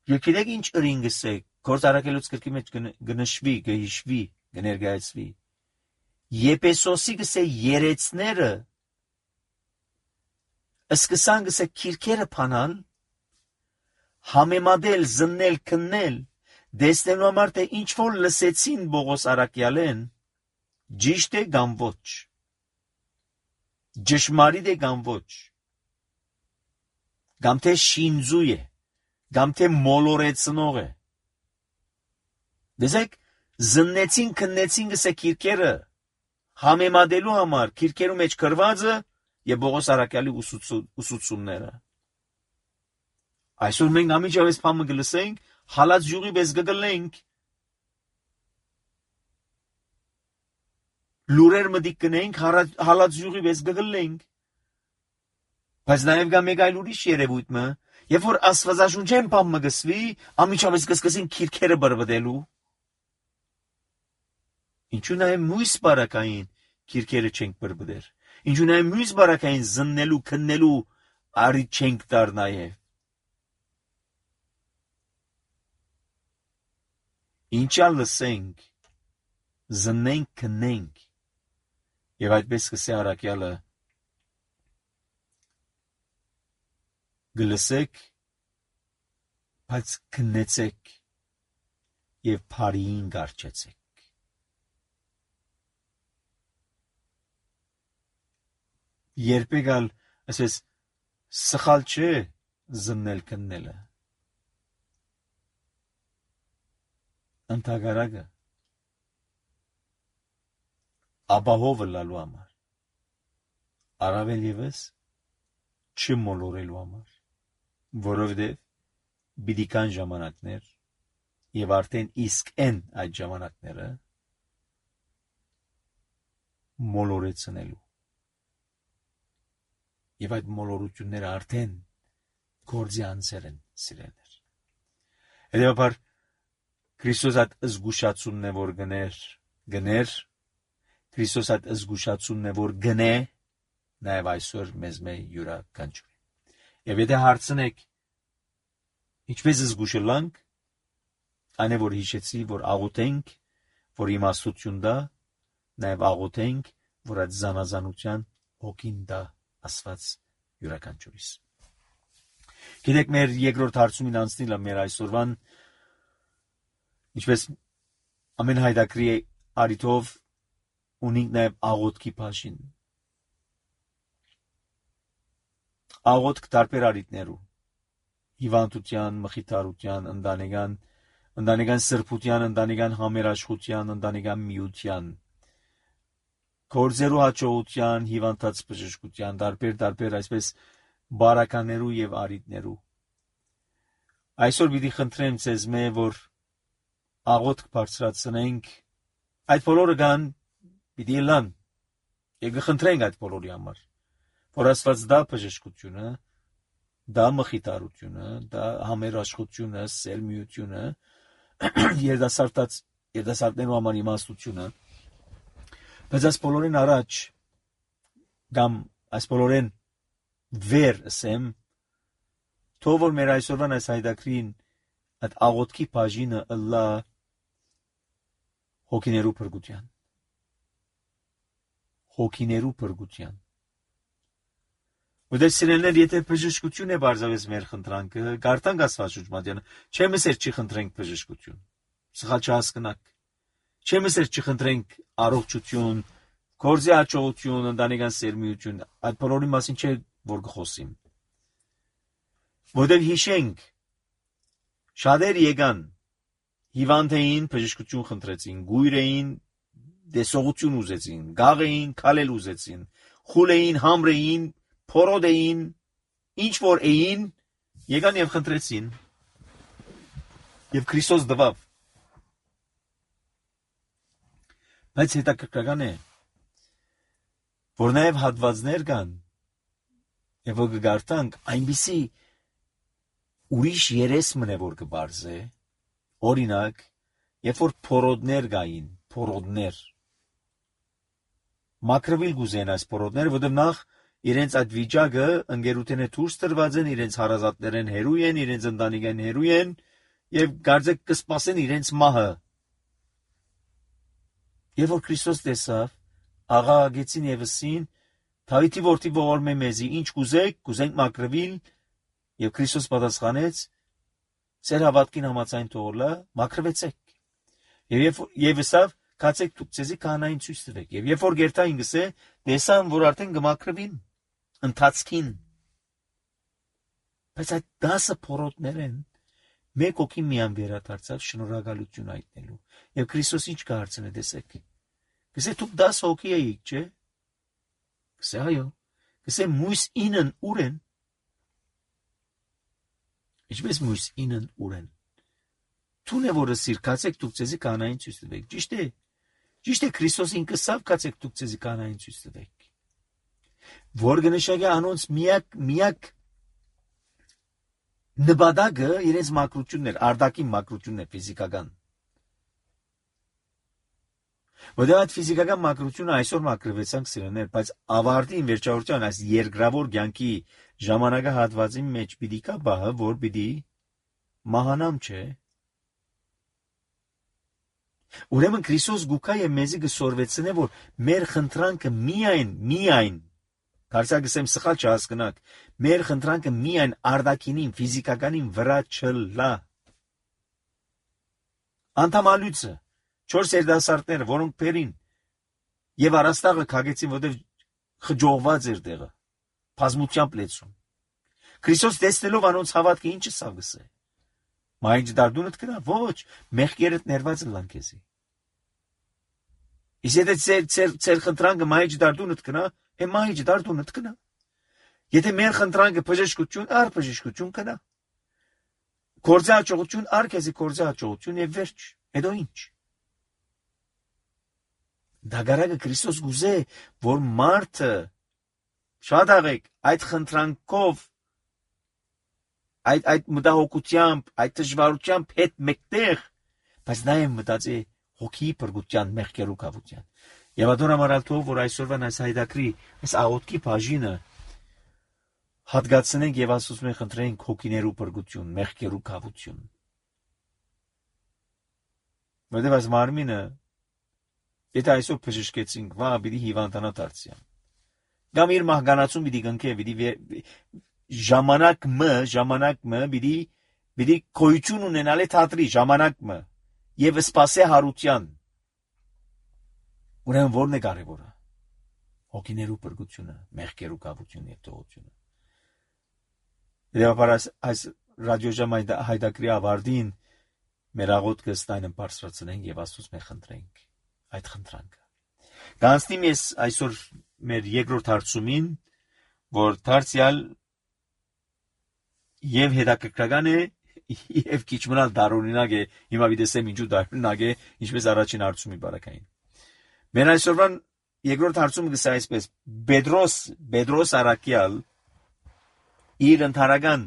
եւ գիտեք ինչ ըրին գսե, Գործ Առաքելոց գրքի մեջ կնշվի, կհիշվի, կներկայացվի։ Եփեսոսի գսե երեցները սկսան գսե քիրքերը փանալ, համեմատել, զննել, քննել, դեսնելու համար թե ինչ որ լսեցին Բողոս Առաքյալեն, ճիշտ է կամ ոչ, ճշմարիտ է կամ ոչ, կամ թե շինձու է, կամ թե մոլորեցնող է։ Դեսեք, զննեցին, քննեցին գսե քիրքերը, համեմատելու համար քիրքերու մեջ գրվածը եւ Բողոս Առաքյալի ուսուցումները։ Այսօր մենք ամիջապես փամը գլսենք, հալած յուղի պես գգլենք, լուրեր մտիկ կնենք, հալած յուղի պես գգլենք, բայց նաև գա մեկ այլ ուրիշ երևույթ մը, երբ որ աստվածաշունչեն բան մը գսվի, ամիջապես կսկսին քիրքերը բրբդելու, ինչու նաև մույս բարակային քիրքերը չենք բրբդեր, ինչու նաև մույս բարակային զննելու, քննելու արիթ չենք տար նաև, ինչա լսենք, զննենք, քննենք, եւ այդպես կսե առաքյալը գլսեք, բայց քննեցեք եւ փարիին գարչեցեք։ Երբեք ալ ասես սխալ չէ զննել քննելը։ Ընթագարակը ապահովը լալու համար, առավել ևս չմոլորելու համար, որովհետև պիտի կան ժամանակներ եւ արդեն իսկ են այդ ժամանակները մոլորեցնելու եւ այդ մոլորությունները արդեն գործի անցել են սիրելներ։ Հետևաբար Քրիստոս այդ զգուշացումն է որ գներ գներ Քրիստոս այդ զգուշացումն է որ գնե նաև այսօր մեզ մե յուրաքանչյուր եւ եթե հարցնեք ինչպես զգուշելանք այն է որ հիշեցի որ աղոթենք որ իմաստություն դա նաև աղոթենք որ այդ զանազանության հոգին դա ասված յուրաքանչյուրիս գիտեք մեր երկրորդ հարցումին անցնելը մեր այսօրվան ինչպես ամեն հայդակրի արիթով ունենք նաև աղոթքի բաժին աղոթք տարբեր արիտներու հիվանդության, մխիթարության, ընտանեկան, ընտանեկան սրբության, ընտանեկան համերաշխության, ընտանեկան միության, գործերու հաջողության, հիվանդած բժշկության, տարբեր տարբեր այսպես բարականերու եւ արիտներու։ Այսօր պիտի խնդրեմ ձեզ մե որ աղոթք բարձրացնենք, այդ բոլորը կան պիտի լան, եւ կխնդրենք այդ բոլորի համար, որ Աստված դա բժշկությունը, դա մխիթարությունը, դա համերաշխությունը, սերմիությունը, երդասարտած երդասարտներու համար իմաստությունը, բայց այս բոլորին առաջ կամ այս բոլորին վեր ասեմ, թող որ մեր այսօրվան այս հայդակրին այդ աղոթքի բաժինը ըլլա հոգիներու փրկության, հոգիներու փրկության։ ودե սիրելներ, եթե բժշկություն է բարձավես մեր խնդրանքը, գարտանք Աստվածաշունչը, չեմ ասեր չի խնդրենք բժշկություն։ Սխալ չհասկնաք։ Չեմ ասեր չի խնդրենք առողջություն, գործի հաջողություն, ընտանեկան սերմիություն, այդ բոլորի մասին չէ որ կխոսիմ։ ودե հիշենք շատեր եկան հիվանդ էին, բժշկություն խնդրեցին, գույր էին, դեսողություն ուզեցին, գաղ էին, քալել ուզեցին, խուլ էին, համր էին, փորոդ էին, ինչ որ էին, եկան եւ խնդրեցին։ Եվ Քրիստոս դվավ։ Բայց հետաքրքրական է, որ նաեւ հատվածներ կան, եւ որ կգարտանք այնպիսի ուրիշ երես մնե որ կբարձե, օրինակ, երբ որ փորոդներ կային, փորոդներ, մակրվել գուզեն այս փորոդները, որտեղ նախ իրենց այդ վիճակը ընկերութենը դուրս տրված են, իրենց հարազատներեն հերու են, իրենց ընտանիքեն հերու են, եւ գարձեք կսպասեն իրենց մահը։ Եվ որ Քրիստոս տեսավ, աղաղագեցին եւսին, Դավիթի որդի ողորմե մեզի, ինչ կուզեք, կուզենք մակրվել, եւ Քրիստոս պատասխանեց, ձեր հավատքին համաձայն թողլա, մակրվեցեք։ Եվ եւ ասավ, կացեք դուք ցեզի կանային ցույց տվեք։ Եվ երբ որ գերտային գսե, տեսան, որ արդեն կմակրվին, ընթացքին։ Բայց այդ դասը փորոտներ են, մեկ օքի միան վերադարձավ շնորհակալություն այտնելու։ Եվ Քրիստոս ինչ կհարցնե, տեսեք։ Գսե դուք դաս հոգի եք, չէ՞։ Գսե այո։ Գսե մույս ինն ուր են։ Ինչպես մույս ինն ուր են։ Թուն է որը սիր կացեք դուք ձեզի կանային ցույց տվեք։ Ճիշտ է։ Ճիշտ է Քրիստոս ինքը սավ կացեք դուք ձեզի կանային ցույց տվեք։ Որ գնշագի անոնց միակ միակ նպատակը իրենց մակրությունն էր, արդակի մակրությունն էր ֆիզիկական։ Որտեղ այդ ֆիզիկական մակրությունը այսօր մակրվեցանք սիրելիներ, բայց ավարտին վերջավորության այս երկրավոր կյանքի ժամանակահատվածի մեջ պիտի կա բահը, որ պիտի մահանամ չէ։ Ուրեմն Քրիստոս գուկա եւ մեզի գսորվեցնե, որ մեր խնդրանքը միայն, միայն, կարծակսեմ սխալ չհասկնաք, մեր խնդրանքը միայն արդակինին, ֆիզիկականին վրա չլա։ Անդամալույցը, չորս երդասարտները, որոնք փերին եւ առաստաղը քագեցին, որտեղ խջողված էր տեղը, բազմությամբ լեցուն։ Քրիստոս տեսնելով անոնց հավատքը ինչը սավգսե։ Մայջ դարդունդ կնա, ոչ, մեղքերդ ներված լան քեզի։ Իսկ եթե ծեր ծեր ծեր խնդրանքը մայջ դարդունդ կնա, է մայջ դարդունդ կնա։ Եթե մեր խնդրանքը բժշկություն, առ բժշկություն կնա։ Գործի հաջողություն, առ քեզի գործի հաջողություն եւ վերջ։ Հետո ինչ։ Դագարակը Քրիստոս գուզե, որ մարդը շատ աղեք այդ խնդրանքով այդ այդ մտահոգությամբ, այդ դժվարությամբ հետ մեկտեղ, բայց նաև մտածի հոգի բրգության մեղքերու կավության։ Եվ ադոր ամարալ թող, որ այսօրվան այս հայդակրի, այս աղոտքի բաժինը հատկացնենք եւ ասում ենք խնդրենք հոգիներու բրգություն, մեղքերու կավություն։ Որտեղ այս մարմինը եթե այսօր բժշկեցինք, վա պիտի հիվանդանա դարձիան։ Կամ իր մահկանացում պիտի գնքե, պիտի ժամանակ մը, ժամանակ մը պիտի պիտի գոյություն ունենալ է թատրի ժամանակ մը եւ սպասե հարության։ Ուրեմն ո՞րն է կարևորը։ Հոգիներու բրգությունը, մեղքերու կավությունը եւ տողությունը։ Եվ ապարս այս ռադիոժամ հայդակրի ավարտին մեր աղոթքը ստայնը բարձրացնենք եւ Աստծուց մենք խնդրենք այդ խնդրանքը։ Կանցնիմ ես այսօր մեր երկրորդ հարցումին, որ դարձյալ եւ հետաքրքրական է եւ քիչ մնալ դարօրինակ է, հիմա վիդեսեմ ինչու դարօրինակ է, ինչպես առաջին հարցումի բարակային։ Մեր այսօրվան երկրորդ հարցումը գսա այսպես. Պետրոս, Պետրոս Արաքյալ իր ընթարական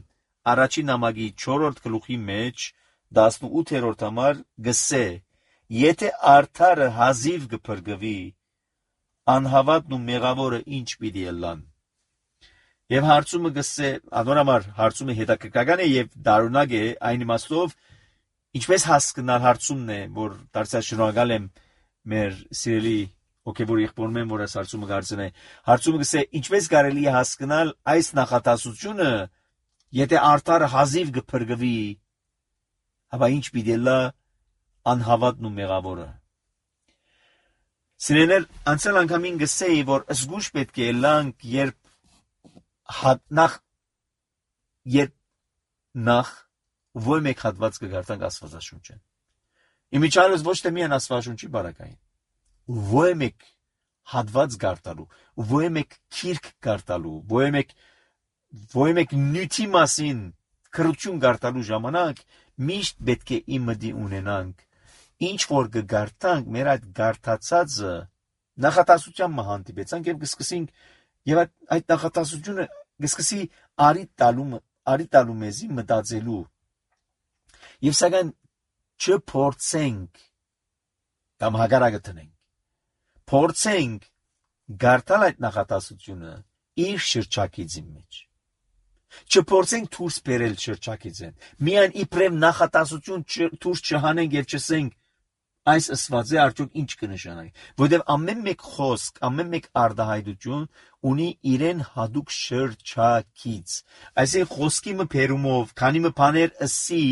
առաջին նամակի չորրորդ գլուխի մեջ տասնութերորդ համար գսե. Եթե արդարը հազիվ կփրկվի, անհավատն ու մեղավորը ինչ պիտի ելան։ Եվ հարցումը գսե, անորամար հարցումը հետաքրքրական է եւ դարունակ է, այն իմաստով, ինչպես հասկանալ հարցումն է, որ դարձյալ շնորհակալ եմ մեր սիրելի հոգեվոր եղբորներն, որ այս հարցումը գարցն է։ Հարցումը գսե, ինչպես կարելի է հասկանալ այս նախատասությունը, եթե արդարը հազիվ կփրկվի, ապա ինչ պիտի լա անհավատն ու մեղավորը։ Սիրելիներ, անցյալ անգամին գսեի, որ զգուշ պետք է լանք, երբ նախ երբ նախ ո՞ր մեկ հատված կգարտանք Աստվածաշունչը։ Իմիջիայլոց ոչ թե միայն Աստվածաշունչի բարակային, ո՞ր մեկ հատված գարտալու, ո՞ր մեկ քիրք գարտալու, ո՞ր մեկ ո՞ր մեկ նյութի մասին քրություն գարտալու ժամանակ միշտ պետք է իմդի ունենանք, ինչ որ կգարտանք, մեր այդ գարտացածը նախատասության մը հանդիպեցանք եւ կսկսենք եւ այդ, այդ նախատասությունը կսկսի արի տալու արի տալու մեզի մտածելու եւ սակայն չփորձենք կամ հագարակը տնենք փորձենք գարտալ այդ նախատասությունը իր շրջակիցի մեջ չփորձենք դուրս բերել շրջակիցեն միայն իբրև նախատասություն դուրս չհանենք եւ չսենք այս ասվածը արդյոք ինչ կնշանակի, որովհետև ամեն մեկ խոսք, ամեն մեկ արտահայտություն ունի իրեն հատուկ շրջակից։ Այսինքն խոսքի մը բերումով, քանի մը բաներ ըսի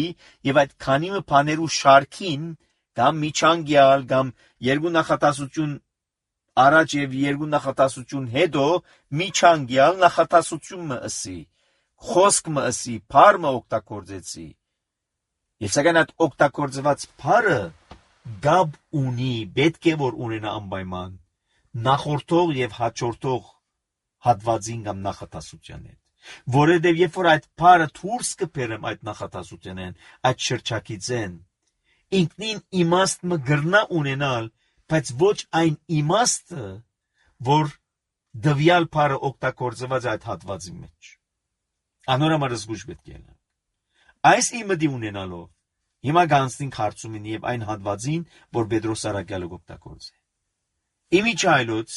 եւ այդ քանի մը բաներու շարքին կամ միջանկյալ կամ երկու նախատասություն առաջ եւ երկու նախատասություն հետո միջանկյալ նախատասություն մը ըսի, խոսք մը ըսի, բառ մը օգտագործեցի։ Եվ սակայն այդ օգտագործված բառը գաբ ունի, պետք է որ ունենա անպայման նախորդող եւ հաջորդող հատվածին կամ նախատասության հետ, որովհետեւ երբ որ այդ բառը դուրս կբերեմ այդ նախատասությունեն, այդ շրջակիցեն, ինքնին իմաստ մը գրնա ունենալ, բայց ոչ այն իմաստը, որ դվյալ բարը օգտագործված այդ հատվածի մեջ։ Անորամար զգուշ պետք է լինել։ Այս իմը դի ունենալով հիմա գանցնենք հարցումին եւ այն հատվածին, որ Պետրոս Արաքյալը օգտագործե։ Իմիջայլոց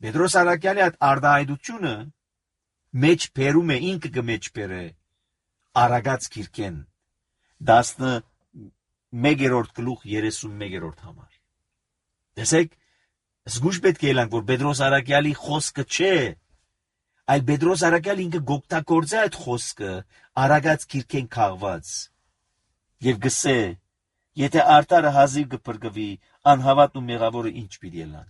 Պետրոս Արաքյալի այդ արդահայտությունը մեջ բերում է ինքը կմեջ բերե Արագած քիրքեն տասնմեկերորդ գլուխ երեսունմեկերորդ համար։ Տեսեք, զգուշ պետք է լինենք, որ Պետրոս Արաքյալի խոսքը չէ, այլ Պետրոս Արաքյալը ինքը օգտագործե այդ խոսքը Արագած քիրքեն քաղված եւ գսե, եթե արտարը հազիվ կփրկվի, անհավատն ու մեղավորը ինչ պիտի լինեն։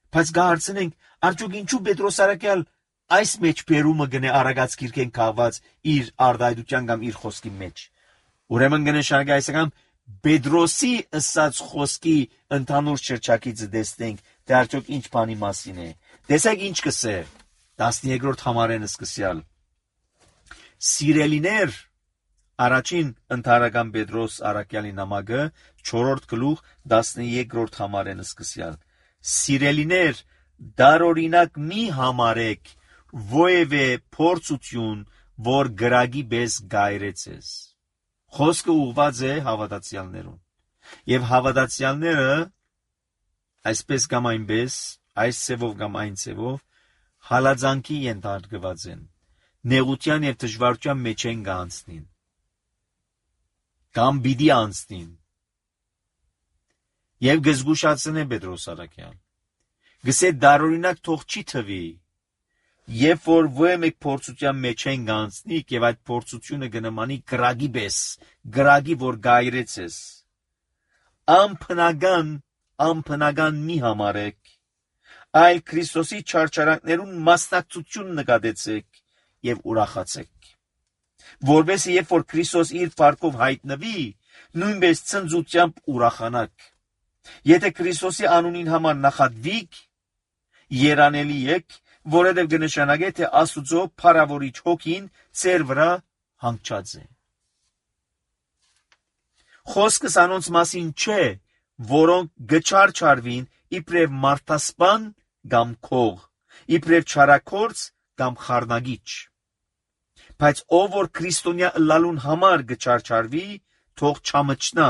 Բայց գարցնենք, արդյոք ինչու Պետրոս Արաքյալ այս մեջ բերումը գնե Արագած քիրքեն քաղված իր արդայդության կամ իր խոսքի մեջ։ Ուրեմն կնշանակի այսական Պետրոսի ըսած խոսքի ընդհանուր շրջակիցը տեսնենք, թե արդյոք ինչ բանի մասին է։ Տեսեք ինչ կսե տասնյոթերորդ համարեն սկսյալ։ Սիրելիներ, առաջին ընդհանրական Պետրոս Արաքյալի նամակը չորրորդ գլուխ տասնյոթերորդ համարեն սկսյալ։ Սիրելիներ, դարօրինակ մի համարեք ովևէ փորձություն, որ գրագի պես գայրեցես։ Խոսքը ուղված է հավատացյալներուն։ Եվ հավատացյալները այսպես կամ այնպես, այս ցևով կամ այն ցևով հալածանքի ենթարկված են, նեղության եւ դժվարության մեջ են գանցնին։ Կամ բիդի անցնին։ Եվ գզգուշացնե Պետրոս Արաքյալ։ Գսե դարօրինակ թող չի թվի, երբ որ ովմեկ փորձության մեջ են գանցնիկ եւ այդ փորձությունը կնմանի գրագի պես, գրագի որ գայրեցես։ Ամփնական, ամփնական մի համարեք, այլ Քրիստոսի չարչարանքներուն մասնակցություն նկատեցեք եւ ուրախացեք։ Որովհետեւ երբ որ Քրիստոս իր փառքով հայտնվի, նույնպես ցնծությամբ ուրախանաք։ Եթե Քրիստոսի անունին համար նախատվիկ, երանելի եք, որովհետև կնշանակե, թե Աստուծո փառավորիչ հոգին ծեր վրա հանգչած է։ Խոսքս անոնց մասին չէ, որոնք գչարչարվին իբրև մարդասպան կամ քող, իբրև չարակորց կամ խառնագիչ։ Բայց ով որ քրիստոնյա ըլլալուն համար գչարչարվի, թող չամչնա,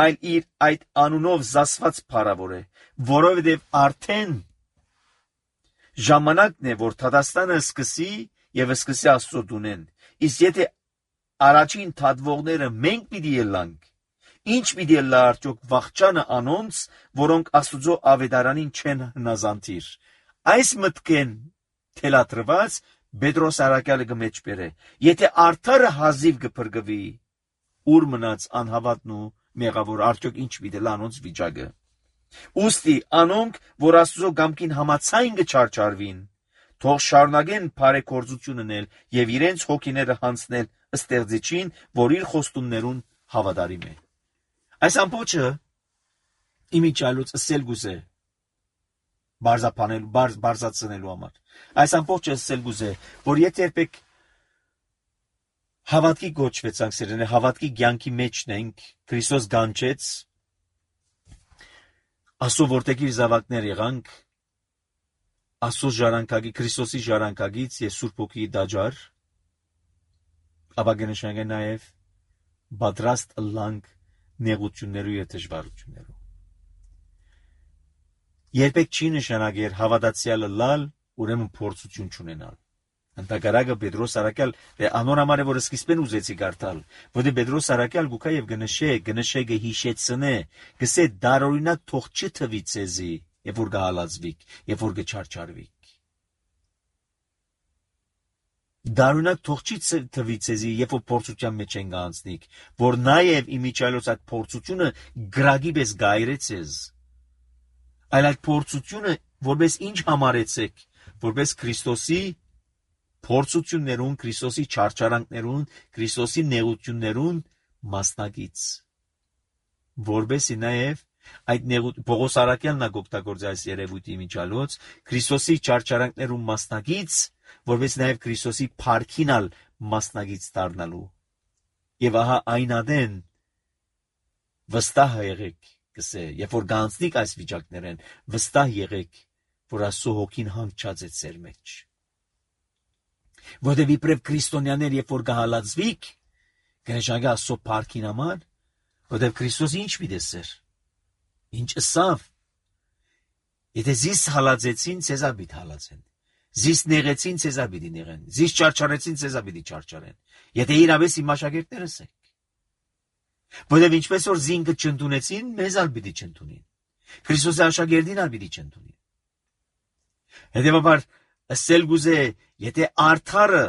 այլ իր այդ անունով զասված փառավոր է, որովհետև արդեն ժամանակն է, որ Թադաստանը սկսի եւ սկսի Աստծո դունեն։ Իսկ եթե առաջին թադվողները մենք պիտի ելանք, ինչ պիտի լա արդյոք վախճանը անոնց, որոնք Աստծո ավետարանին չեն հնազանդիր։ Այս մտքեն թելադրված Պետրոս Արաքյալը կմեջ բերե։ Եթե արդարը հազիվ կփրկվի, ուր մնաց անհավատն ու մեղավոր, արդյոք ինչ պիտի լա անոնց վիճակը։ Ուստի անոնք, որ Աստծո գամքին համացայն կչարչարվին, թող շարունակեն բարեգործությունն էլ եւ իրենց հոգիները հանցնել ըստեղծիչին, որ իր խոստումներուն հավատարիմ է։ Այս ամբողջը իմիջալուց ասել գուզե բարձապանել բարձ բարձացնելու համար։ Այս ամբողջը ասել գուզե, որ եթե երբեք հավատքի գոչվեցանք սերենե, հավատքի կյանքի մեջն ենք, Քրիստոս գանչեց, Աստծո որտեղի զավակներ եղանք, Աստծո ժառանգագի Քրիստոսի ժառանգագից եւ Սուրբ Հոգի դաջար, ապա կնշանակե նաեւ պատրաստ ըլլանք նեղություններու եւ դժվարություններու։ Երբեք չի նշանակեր հավատացյալը լալ, ուրեմն փորձություն չունենալ։ Ընդհակառակը Պետրոս Արաքյալ անոր համար է, որ սկիզբեն ուզեցի կարդալ, որտեղ Պետրոս Արաքյալ գուքա եւ գնշե, գնշե գհիշեցնե, գսե դարօրինակ թող չթվի ցեզի, եւ որ գահալածվիկ, եւ որ գչարչարվիկ։ Դարօրինակ թող չի թվի ցեզի, երբ որ փորձության մեջ են գանցնիկ, որ նաեւ իմիջալոց այդ փորձությունը գրագի պես գայրեցես։ Այլ այդ փորձությունը որպես ինչ համարեցեք, որպես Քրիստոսի փորձություններուն, Քրիստոսի չարչարանքներուն, Քրիստոսի նեղություններուն մասնակից, որբեսի նաև այդ նեղут Պողոս Արաքյալն օգտագործի այս երևույթի միջալոց, Քրիստոսի չարչարանքներուն մասնակից, որպես նաև Քրիստոսի փառքինալ մասնակից դառնալու։ Եվ ահա այն ադեն վստահ եղեք, կսե, երբ որ գանցնիկ այս վիճակներեն, վստահ եղեք, որ Աստծո հոգին հանգչած է ձեր մեջ։ Որտեւ իբրև քրիստոնյաներ, երբ որ գահալածվիկ, կնշանակի Աստծո փառքին համար, որտեւ Քրիստոս ինչ մի դեսեր, ինչ ըսավ, եթե զիս հալածեցին, ցեզա պիտի հալածեն, զիս նեղեցին, ցեզա պիտի նեղեն, զիս չարչարեցին, ցեզա պիտի չարչարեն, եթե իրավես իմ աշակերտներս եք։ Որտեւ ինչպես որ զինքը չընդունեցին, մեզ ալ պիտի չընդունին, Քրիստոսի աշակերտին ալ պիտի չընդունին։ Հետևաբար ըսել գուզե, եթե արդարը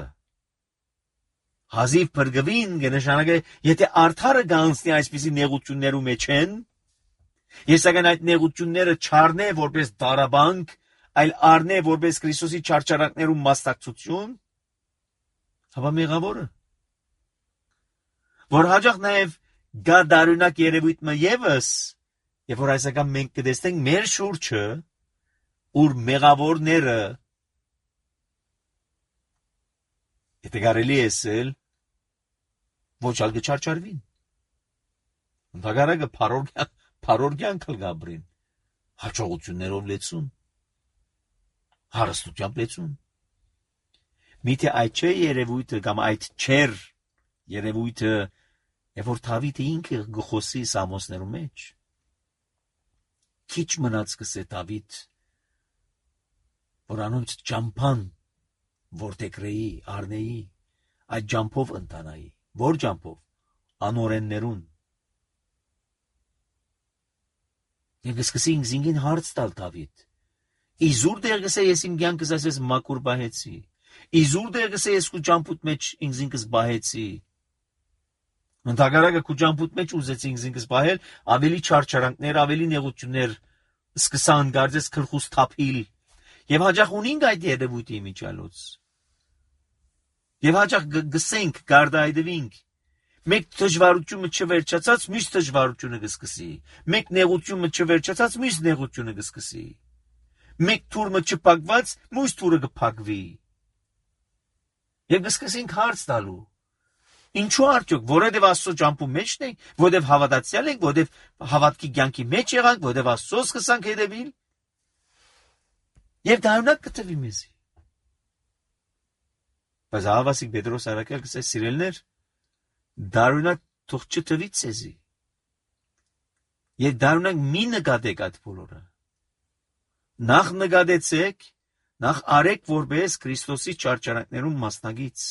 հազիվ փրկվին, կնշանակե, եթե արդարը գանցնի այսպիսի նեղություններու մեջ են, ես սակայն այդ նեղությունները չառնե որպես դարաբանք, այլ առնե որպես Քրիստոսի չարչարանքներու մասնակցություն, հապա մեղավորը, որ հաջող նաև գա դարունակ երևույթը եւս, երբ որ այսական մենք կտեսնենք մեր շուրջը, ուր մեղավորները, եթե կարելի է ասել, ոչ ալ կչարչարվին։ Ընդհակառակը փառորգյան կլգաբրին, հաջողություններով լեցուն, հարստությամբ լեցուն։ Միթե այդ չէ երևույթը կամ այդ չեր երևույթը, երբ որ Դավիթը ինքը գխոսի Սամոսներու մեջ, քիչ մնաց կսե Դավիթ, որ անոնց ճամփան որտեգրեի, արնեի, այդ ճամփով ընտանայի, որ ճամփով, անօրեններուն։ Եվ սկսի ինքզինքին հարց տալ Դավիթ, իզուր դեր գսե ես իմ կյանքս ասես մաքուր բահեցի, իզուր դեր գսե ես քու ճամփուտ մեջ ինքզինքս բահեցի, ընդհակառակը քու ճամփուտ մեջ ուզեցի ինքզինքս բահել, ավելի չարչարանքներ, ավելի նեղություններ սկսան գարձես քրխուս թափիլ, եւ հաջող ունինք այդ երևույթի միջալոց։ Եվ հաջող գսենք, գարդայդվինք, մեկ դժվարությունը չվերջացած, մյուս դժվարությունը կսկսի, մեկ նեղությունը չվերջացած, մյուս նեղությունը կսկսի, մեկ թուրմը չփակված, մյուս թուրը կփակվի։ Եվ կսկսենք հարց տալու, ինչու արդյոք, որովհետև Աստծո ճամփու մեջն ենք, որովհետև հավատացյալ ենք, որովհետև հավատքի կյանքի մեջ եղանք, որովհետև Աստծո սկսանք հետևել, եւ դառնանք կտվի մեզի։ Բայց Ահավասիկ Պետրոս Արաքյալ կսե սիրելներ, դառնանք թող չտվի ցեզի։ Եվ դառնանք մի նկատեք այդ բոլորը։ Նախ նկատեցեք, նախ արեք որպես Քրիստոսի չարչարանքներուն մասնագից։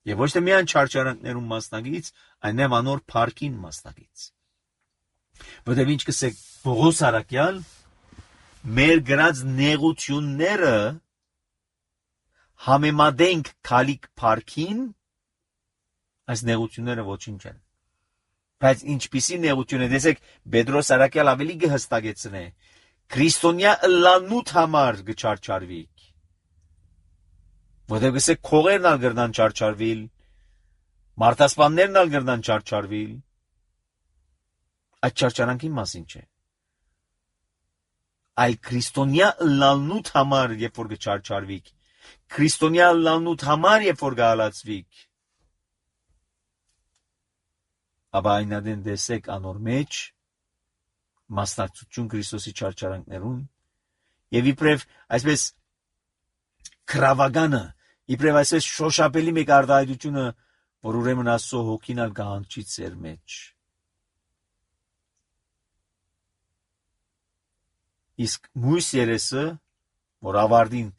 Եվ ոչ թե միայն չարչարանքներուն մասնագից, այլև անոր փառքին մասնագից։ Որտեղ ինչ կսեք Պողոս Արաքյալ, մեր գրած նեղությունները համեմատենք քալիք փառքին, այս նեղությունները ոչինչ են։ Բայց ինչպիսի նեղություն է, տեսեք, Պետրոս Արաքյալ ավելի կհստակեցնե, քրիստոնյա ըլլանուտ համար կչարչարվիք։ Որտեղ գսեք քողերն ալ գրնան չարչարվիլ, մարտասպաններն ալ գրնան չարչարվիլ, այդ չարչարանքի մասին չէ։ Այլ քրիստոնյա ըլլանուտ համար, երբ որ կչարչարվիք, քրիստոնյա ըլլանուտ համար, երբ որ կհալածվիք, ապա այնադեն տեսեք անոր մեջ մասնակցություն Քրիստոսի չարչարանքներուն եւ իբրև այսպես քրավագանը, իբրև այսպես շոշափելի մեկ արտահայտությունը, որ ուրեմն Աստծո հոգին ալ կհանգչի ձեր մեջ։ Իսկ մույս երեսը, որ ավարտին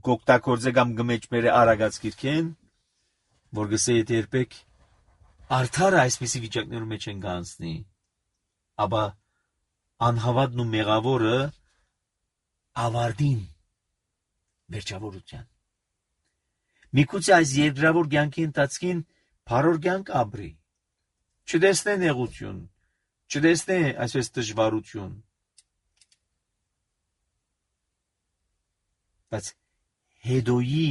գոկտակորձե կամ գմեջմերը արագած կիրքեն, որ գսե եթե երբեք արդարը այսպիսի վիճակներում մեջ են գանցնի, ապա անհավատն ու մեղավորը ավարտին վերջավորության։ Միգուցե այս երկրավոր կյանքի ընթացքին փառոր կյանք ապրի, չտեսնե նեղություն, չտեսնե այսպես դժվարություն, բայց հետոյի,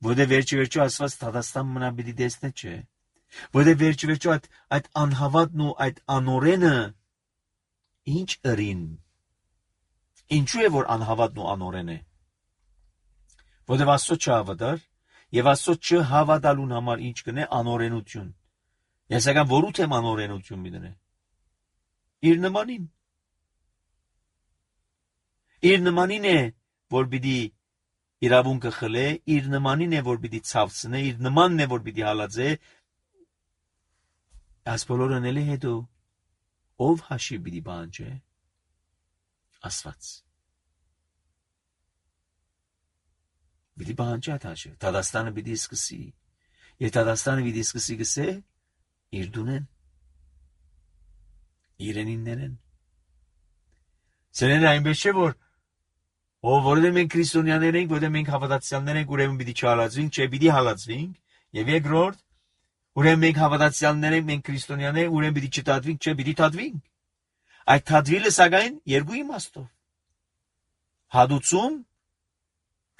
որտեղ վերջի-վերջո ասված Թադաստան մնա պիտի տեսնե չէ, որտեղ վերջի-վերջո այդ, այդ անհավատն ու այդ անօրենը ինչ ըրին, ինչու է որ անհավատն ու անօրեն է, որտեղ Աստծո չհավատար եւ Աստծո չհավատալուն համար ինչ կնե անօրենություն, ես եկան որու թեմ անօրենություն մի դնե, իր նմանին։ Իր նմանին է, որ պիտի իրավունքը խլե, իր նմանին է, որ պիտի ցավցնե, իր նմանն է, որ պիտի հալածե։ Այս բոլորը անելի հետո ով հաշիվ պիտի բանջե։ Աստված։ Պիտի բանջի այդ հաշիվ։ Դադաստանը պիտի սկսի։ Եվ Դադաստանը պիտի սկսի գսե իր դունեն։ Իրենիններեն։ Սերեն այնպես չէ, որ ով որովհետև մենք քրիստոնյաներ ենք, որովհետև մենք հավատացյալներ ենք, ուրեմն պիտի չհալածվենք, չէ, պիտի հալածվենք։ Եվ երկրորդ, ուրեմն մենք հավատացյալներ ենք, մենք քրիստոնյաներ, ուրեմն պիտի չթաթվենք, չէ, պիտի թաթվենք։ Այդ թաթվիլը սակայն երկու իմաստով։ Հադուցում,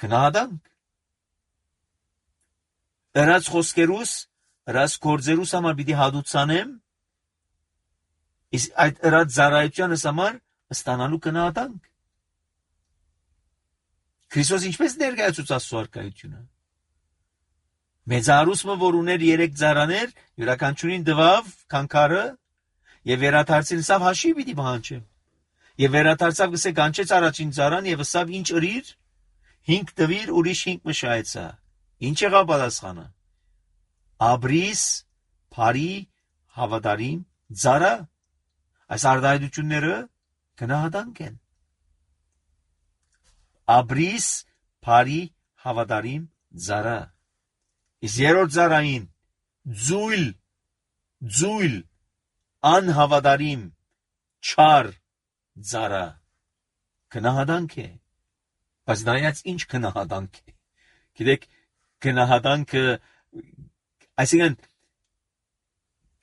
քնահատանք։ Ըրած խոսքերուս, ըրած գործերուս համար պիտի հադուցանեմ, իսկ այդ ըրած ծառայությանս համար ստանալու քնահատանք։ Քրիստոս ինչպես ներկայացուց Աստծո արքայությունը։ Մեծարուսը, որ ուներ երեք ծառաներ, յուրաքանչյուրին տվավ քանքարը եւ վերադարձին սավ հաշի պիտի բանջե։ Եվ վերադարձավ գսե կանչեց առաջին ծառան եւ ասավ ինչ ըրիր, հինգ տվիր, ուրիշ հինգ մշայեցա։ Ինչ եղավ պատասխանը։ Աբրիս, Փարի, Հավադարիմ, ծառա։ Այս արտահայտությունները քնահատանք են։ Աբրիս, Փարի, Հավադարիմ, ծառա։ Իսկ երրորդ ծառային ձույլ, ձույլ, անհավադարիմ, չար ծառա քնահատանք է։ Բայց նայած ինչ քնահատանք է։ Գիտեք, քնահատանքը, այսինքն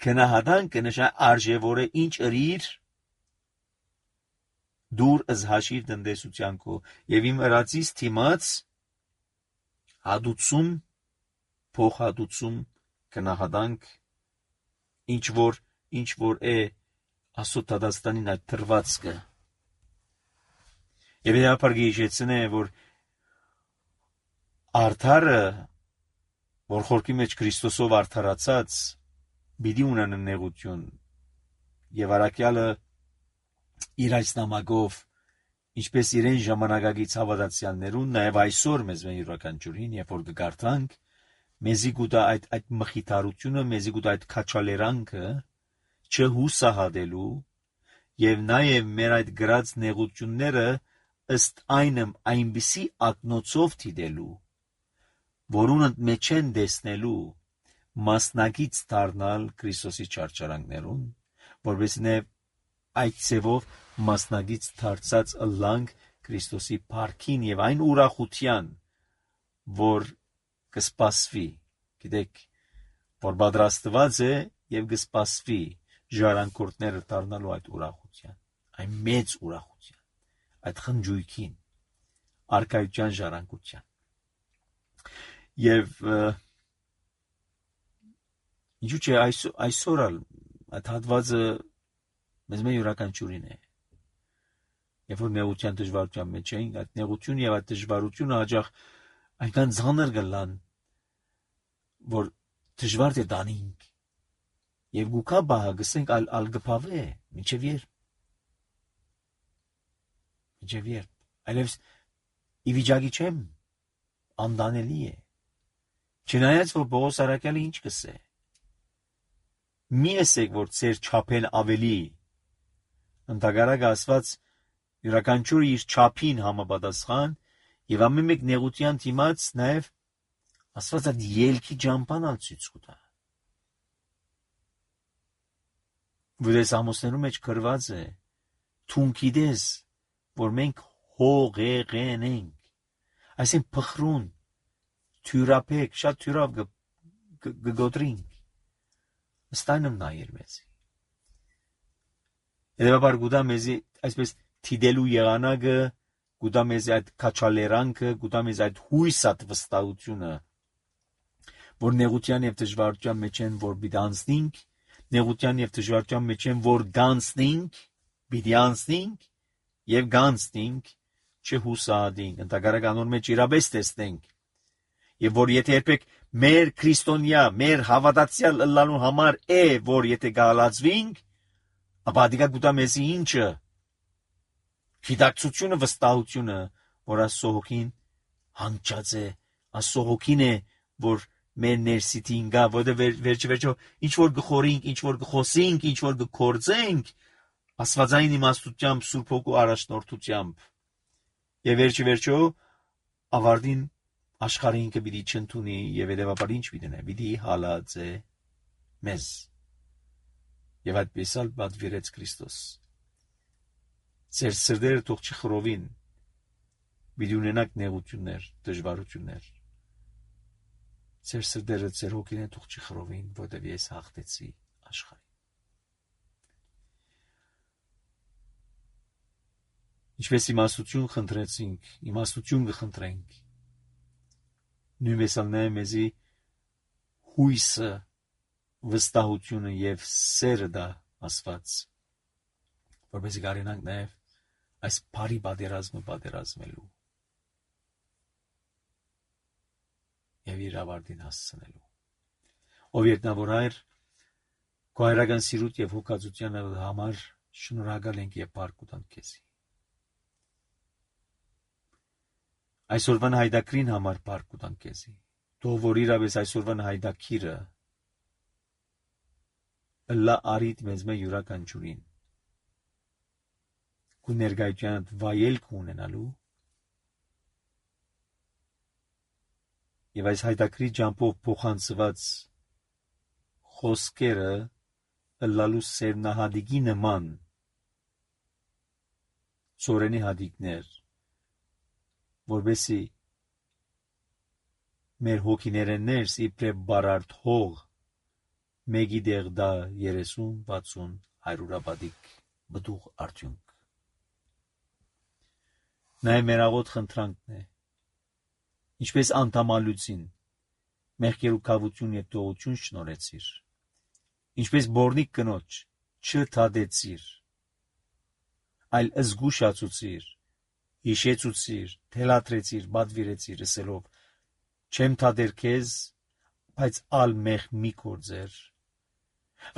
քնահատանքը նշան արժևորը ինչ ըրիր դուր ըզհաշիվ տնտեսության քո եւ իմ ըրածից թիմած հադուցում փոխհատուցում քնահատանք ինչ որ ինչ որ է Աստծո Դադաստանին այդ թրվածքը եւ իհարկե գիժեցնե որ արդարը որ խորքի մեջ Քրիստոսով արդարացած բիդի ունենա նեղություն եւ արաքյալը իր այս նամակով ինչպես իրեն ժամանակագից հավատացյալներուն նաեւ այսօր մեզ մեն յուրաքանչյուրին երբ որ կգարտանք մեզի գուտա այդ այդ մխիթարությունը մեզի գուտա այդ քաչալերանքը չհուսահատելու եւ նաեւ մեր այդ գրած նեղությունները ըստ այնմ այնպիսի ակնոցով դիտելու որոնց մեջ են դեսնելու մասնակից դառնալ Քրիստոսի չարչարանքներուն որովհետեւ նա այդ ծևով մասնակից դարձած ըլլանք Քրիստոսի փառքին եւ այն ուրախության որ կսպասվի գիտեք որ պատրաստված է եւ կսպասվի ժառանգորդները դառնալու այդ ուրախության այն մեծ ուրախության այդ խնջույքին արքայության ժառանգության եւ ինչու՞ չէ այսօր այսօր այդ հատվածը մեզ մե յուրաքանչյուրին է երբ որ նեղության դժվարության մեջ ենք այդ նեղությունը եւ այդ դժվարությունը հաջող այնքան ցաներ գլան որ դժվար է դանինք եւ գուկա բահ գսենք ալ ալգփավե միջև եր միջև եր այլևս իվիճակի չեմ անդանելի է չնայած որ Պողոս արաքյալը ինչ կսե մի ասեք որ ծեր չափեն ավելի ընդհանրակ ասված յուրաքանչյուրը իր չափին համապատասխան եւ ամեն մեկ նեղության դիմաց նաեւ ասված այդ ելքի ջամփանալ ցույց կտա վրես ամոսներու մեջ գրված է թունքիդես որ մենք հողեղեն ենք այսին փխրուն թյուրապեք շատ թյուրավ գգոտրինք ստայնում նայեր մեզի Եվ գուտա մեզի այսպես թիդելու եղանակը, գուտա մեզի այդ քաչալերանքը, գուտա մեզ այդ հույսատ վստահությունը, որ նեղության եւ դժվարության մեջ են, որ պիտի անցնենք, նեղության եւ դժվարության մեջ են, որ գանցնենք, պիտի անցնենք եւ գանցնենք, չհուսադենք, ընդհանրական անոր մեջ իրապես տեսնենք, եւ որ եթե երբեք մեր քրիստոնյա, մեր հավատացյալ ըլլալու համար է, որ եթե գալածվենք ապա դիգա գուտա մեզի ինչը գիտակցությունը վստահությունը որ Աստծո հոգին հանգչած է Աստծո հոգին է որ մեր ներսիտին գա որը վերջ վերջո ինչ որ գխորինք ինչ որ գխոսինք ինչ որ գործենք աստվածային իմաստությամբ Սուրբ Հոգու առաջնորդությամբ եւ վերջ վերջո ավարտին աշխարհին կպիտի չընդունի եւ հետեւաբար ինչ պիտի պիտի հալածե մեզ եւ այդպես ալ պատվիրեց Քրիստոս ձեր սրտերը թող չխռովին պիտի ունենաք նեղություններ դժվարություններ ձեր սրտերը ձեր հոգին թող չխռովին որտեղ ես հաղթեցի աշխարհին ինչպես իմաստություն խնդրեցինք իմաստություն կխնդրենք նույնպես ալնե մեզի հույսը վստահությունը եւ սերը դա Աստված որպեսզի կարենանք նաեւ այս բարի պատերազմը պատերազմելու եւ իր ավարտին հասցնելու ով երտնավոր հայր քո հայրական սիրուտ եւ հոգացության համար շնորհակալ ենք եւ բարք ուտանք քեզ այսօրվան հայդակրին համար բարք ուտանք քեզ թող որ իրավես այսօրվան հայդակիրը լա արիտ մեզ մե յուրաքանչյուրին քու ներկայության վայելք ունենալու եւ այս հայդակրի ջամփով փոխանցված խոսքերը լալու սերնահադիկի նման ծորենի հադիկներ որբեսի մեր հոգիները ներս իբրև բարարդ հող մեգի դեղ դա երեսուն վաթսուն հայրուրաբադիկ բդուղ արդյունք նայ մեր աղոտ խնդրանքն է ինչպես անդամալուծին մեղքերու կավություն եւ տողություն շնորեցիր ինչպես բորնիկ կնոջ չթադեցիր այլ զգուշացուցիր հիշեցուցիր թելադրեցիր բադվիրեցիր ասելով չեմ թադեր քեզ բայց ալ մեղ մի կործեր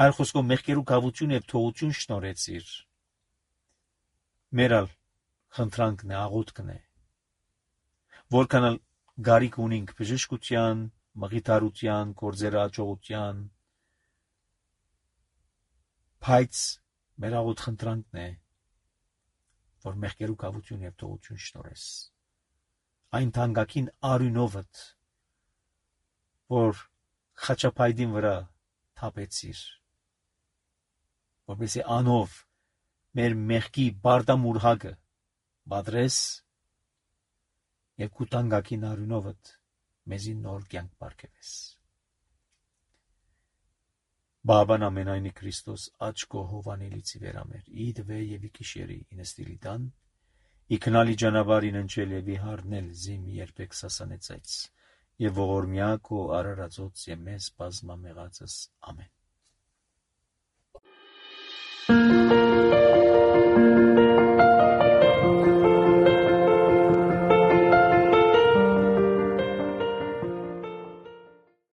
այլ խոսքով մեղքերու կավություն եւ թողություն շնորեցիր մերալ խնդրանքն է աղոթքն է որքան գարիկ ունենք բժշկության մղիթարության կործերը աճողության բայց մեր աղոթ խնդրանքն է որ մեղքերու կավություն եւ թողություն շնորես այն թանկագին արյունովդ որ խաչապայդին վրա թափեցիր որպեսզի անով մեր մեղքի բարդամուրհակը բադրես եւ կուտանգակին արյունովդ մեզի նոր կյանք բարգեւես Բաբան ամենայնի Քրիստոս աչքո հովանելիցի վերամեր իդվե եւ իքիշերի ինստիլիտան իքնալի ճանապարհին ընչել եւ իհարնել զիմ երբեք սասանեցած եւ ողորմյա քո արարածոց եւ մեզ բազմամեղածս ամեն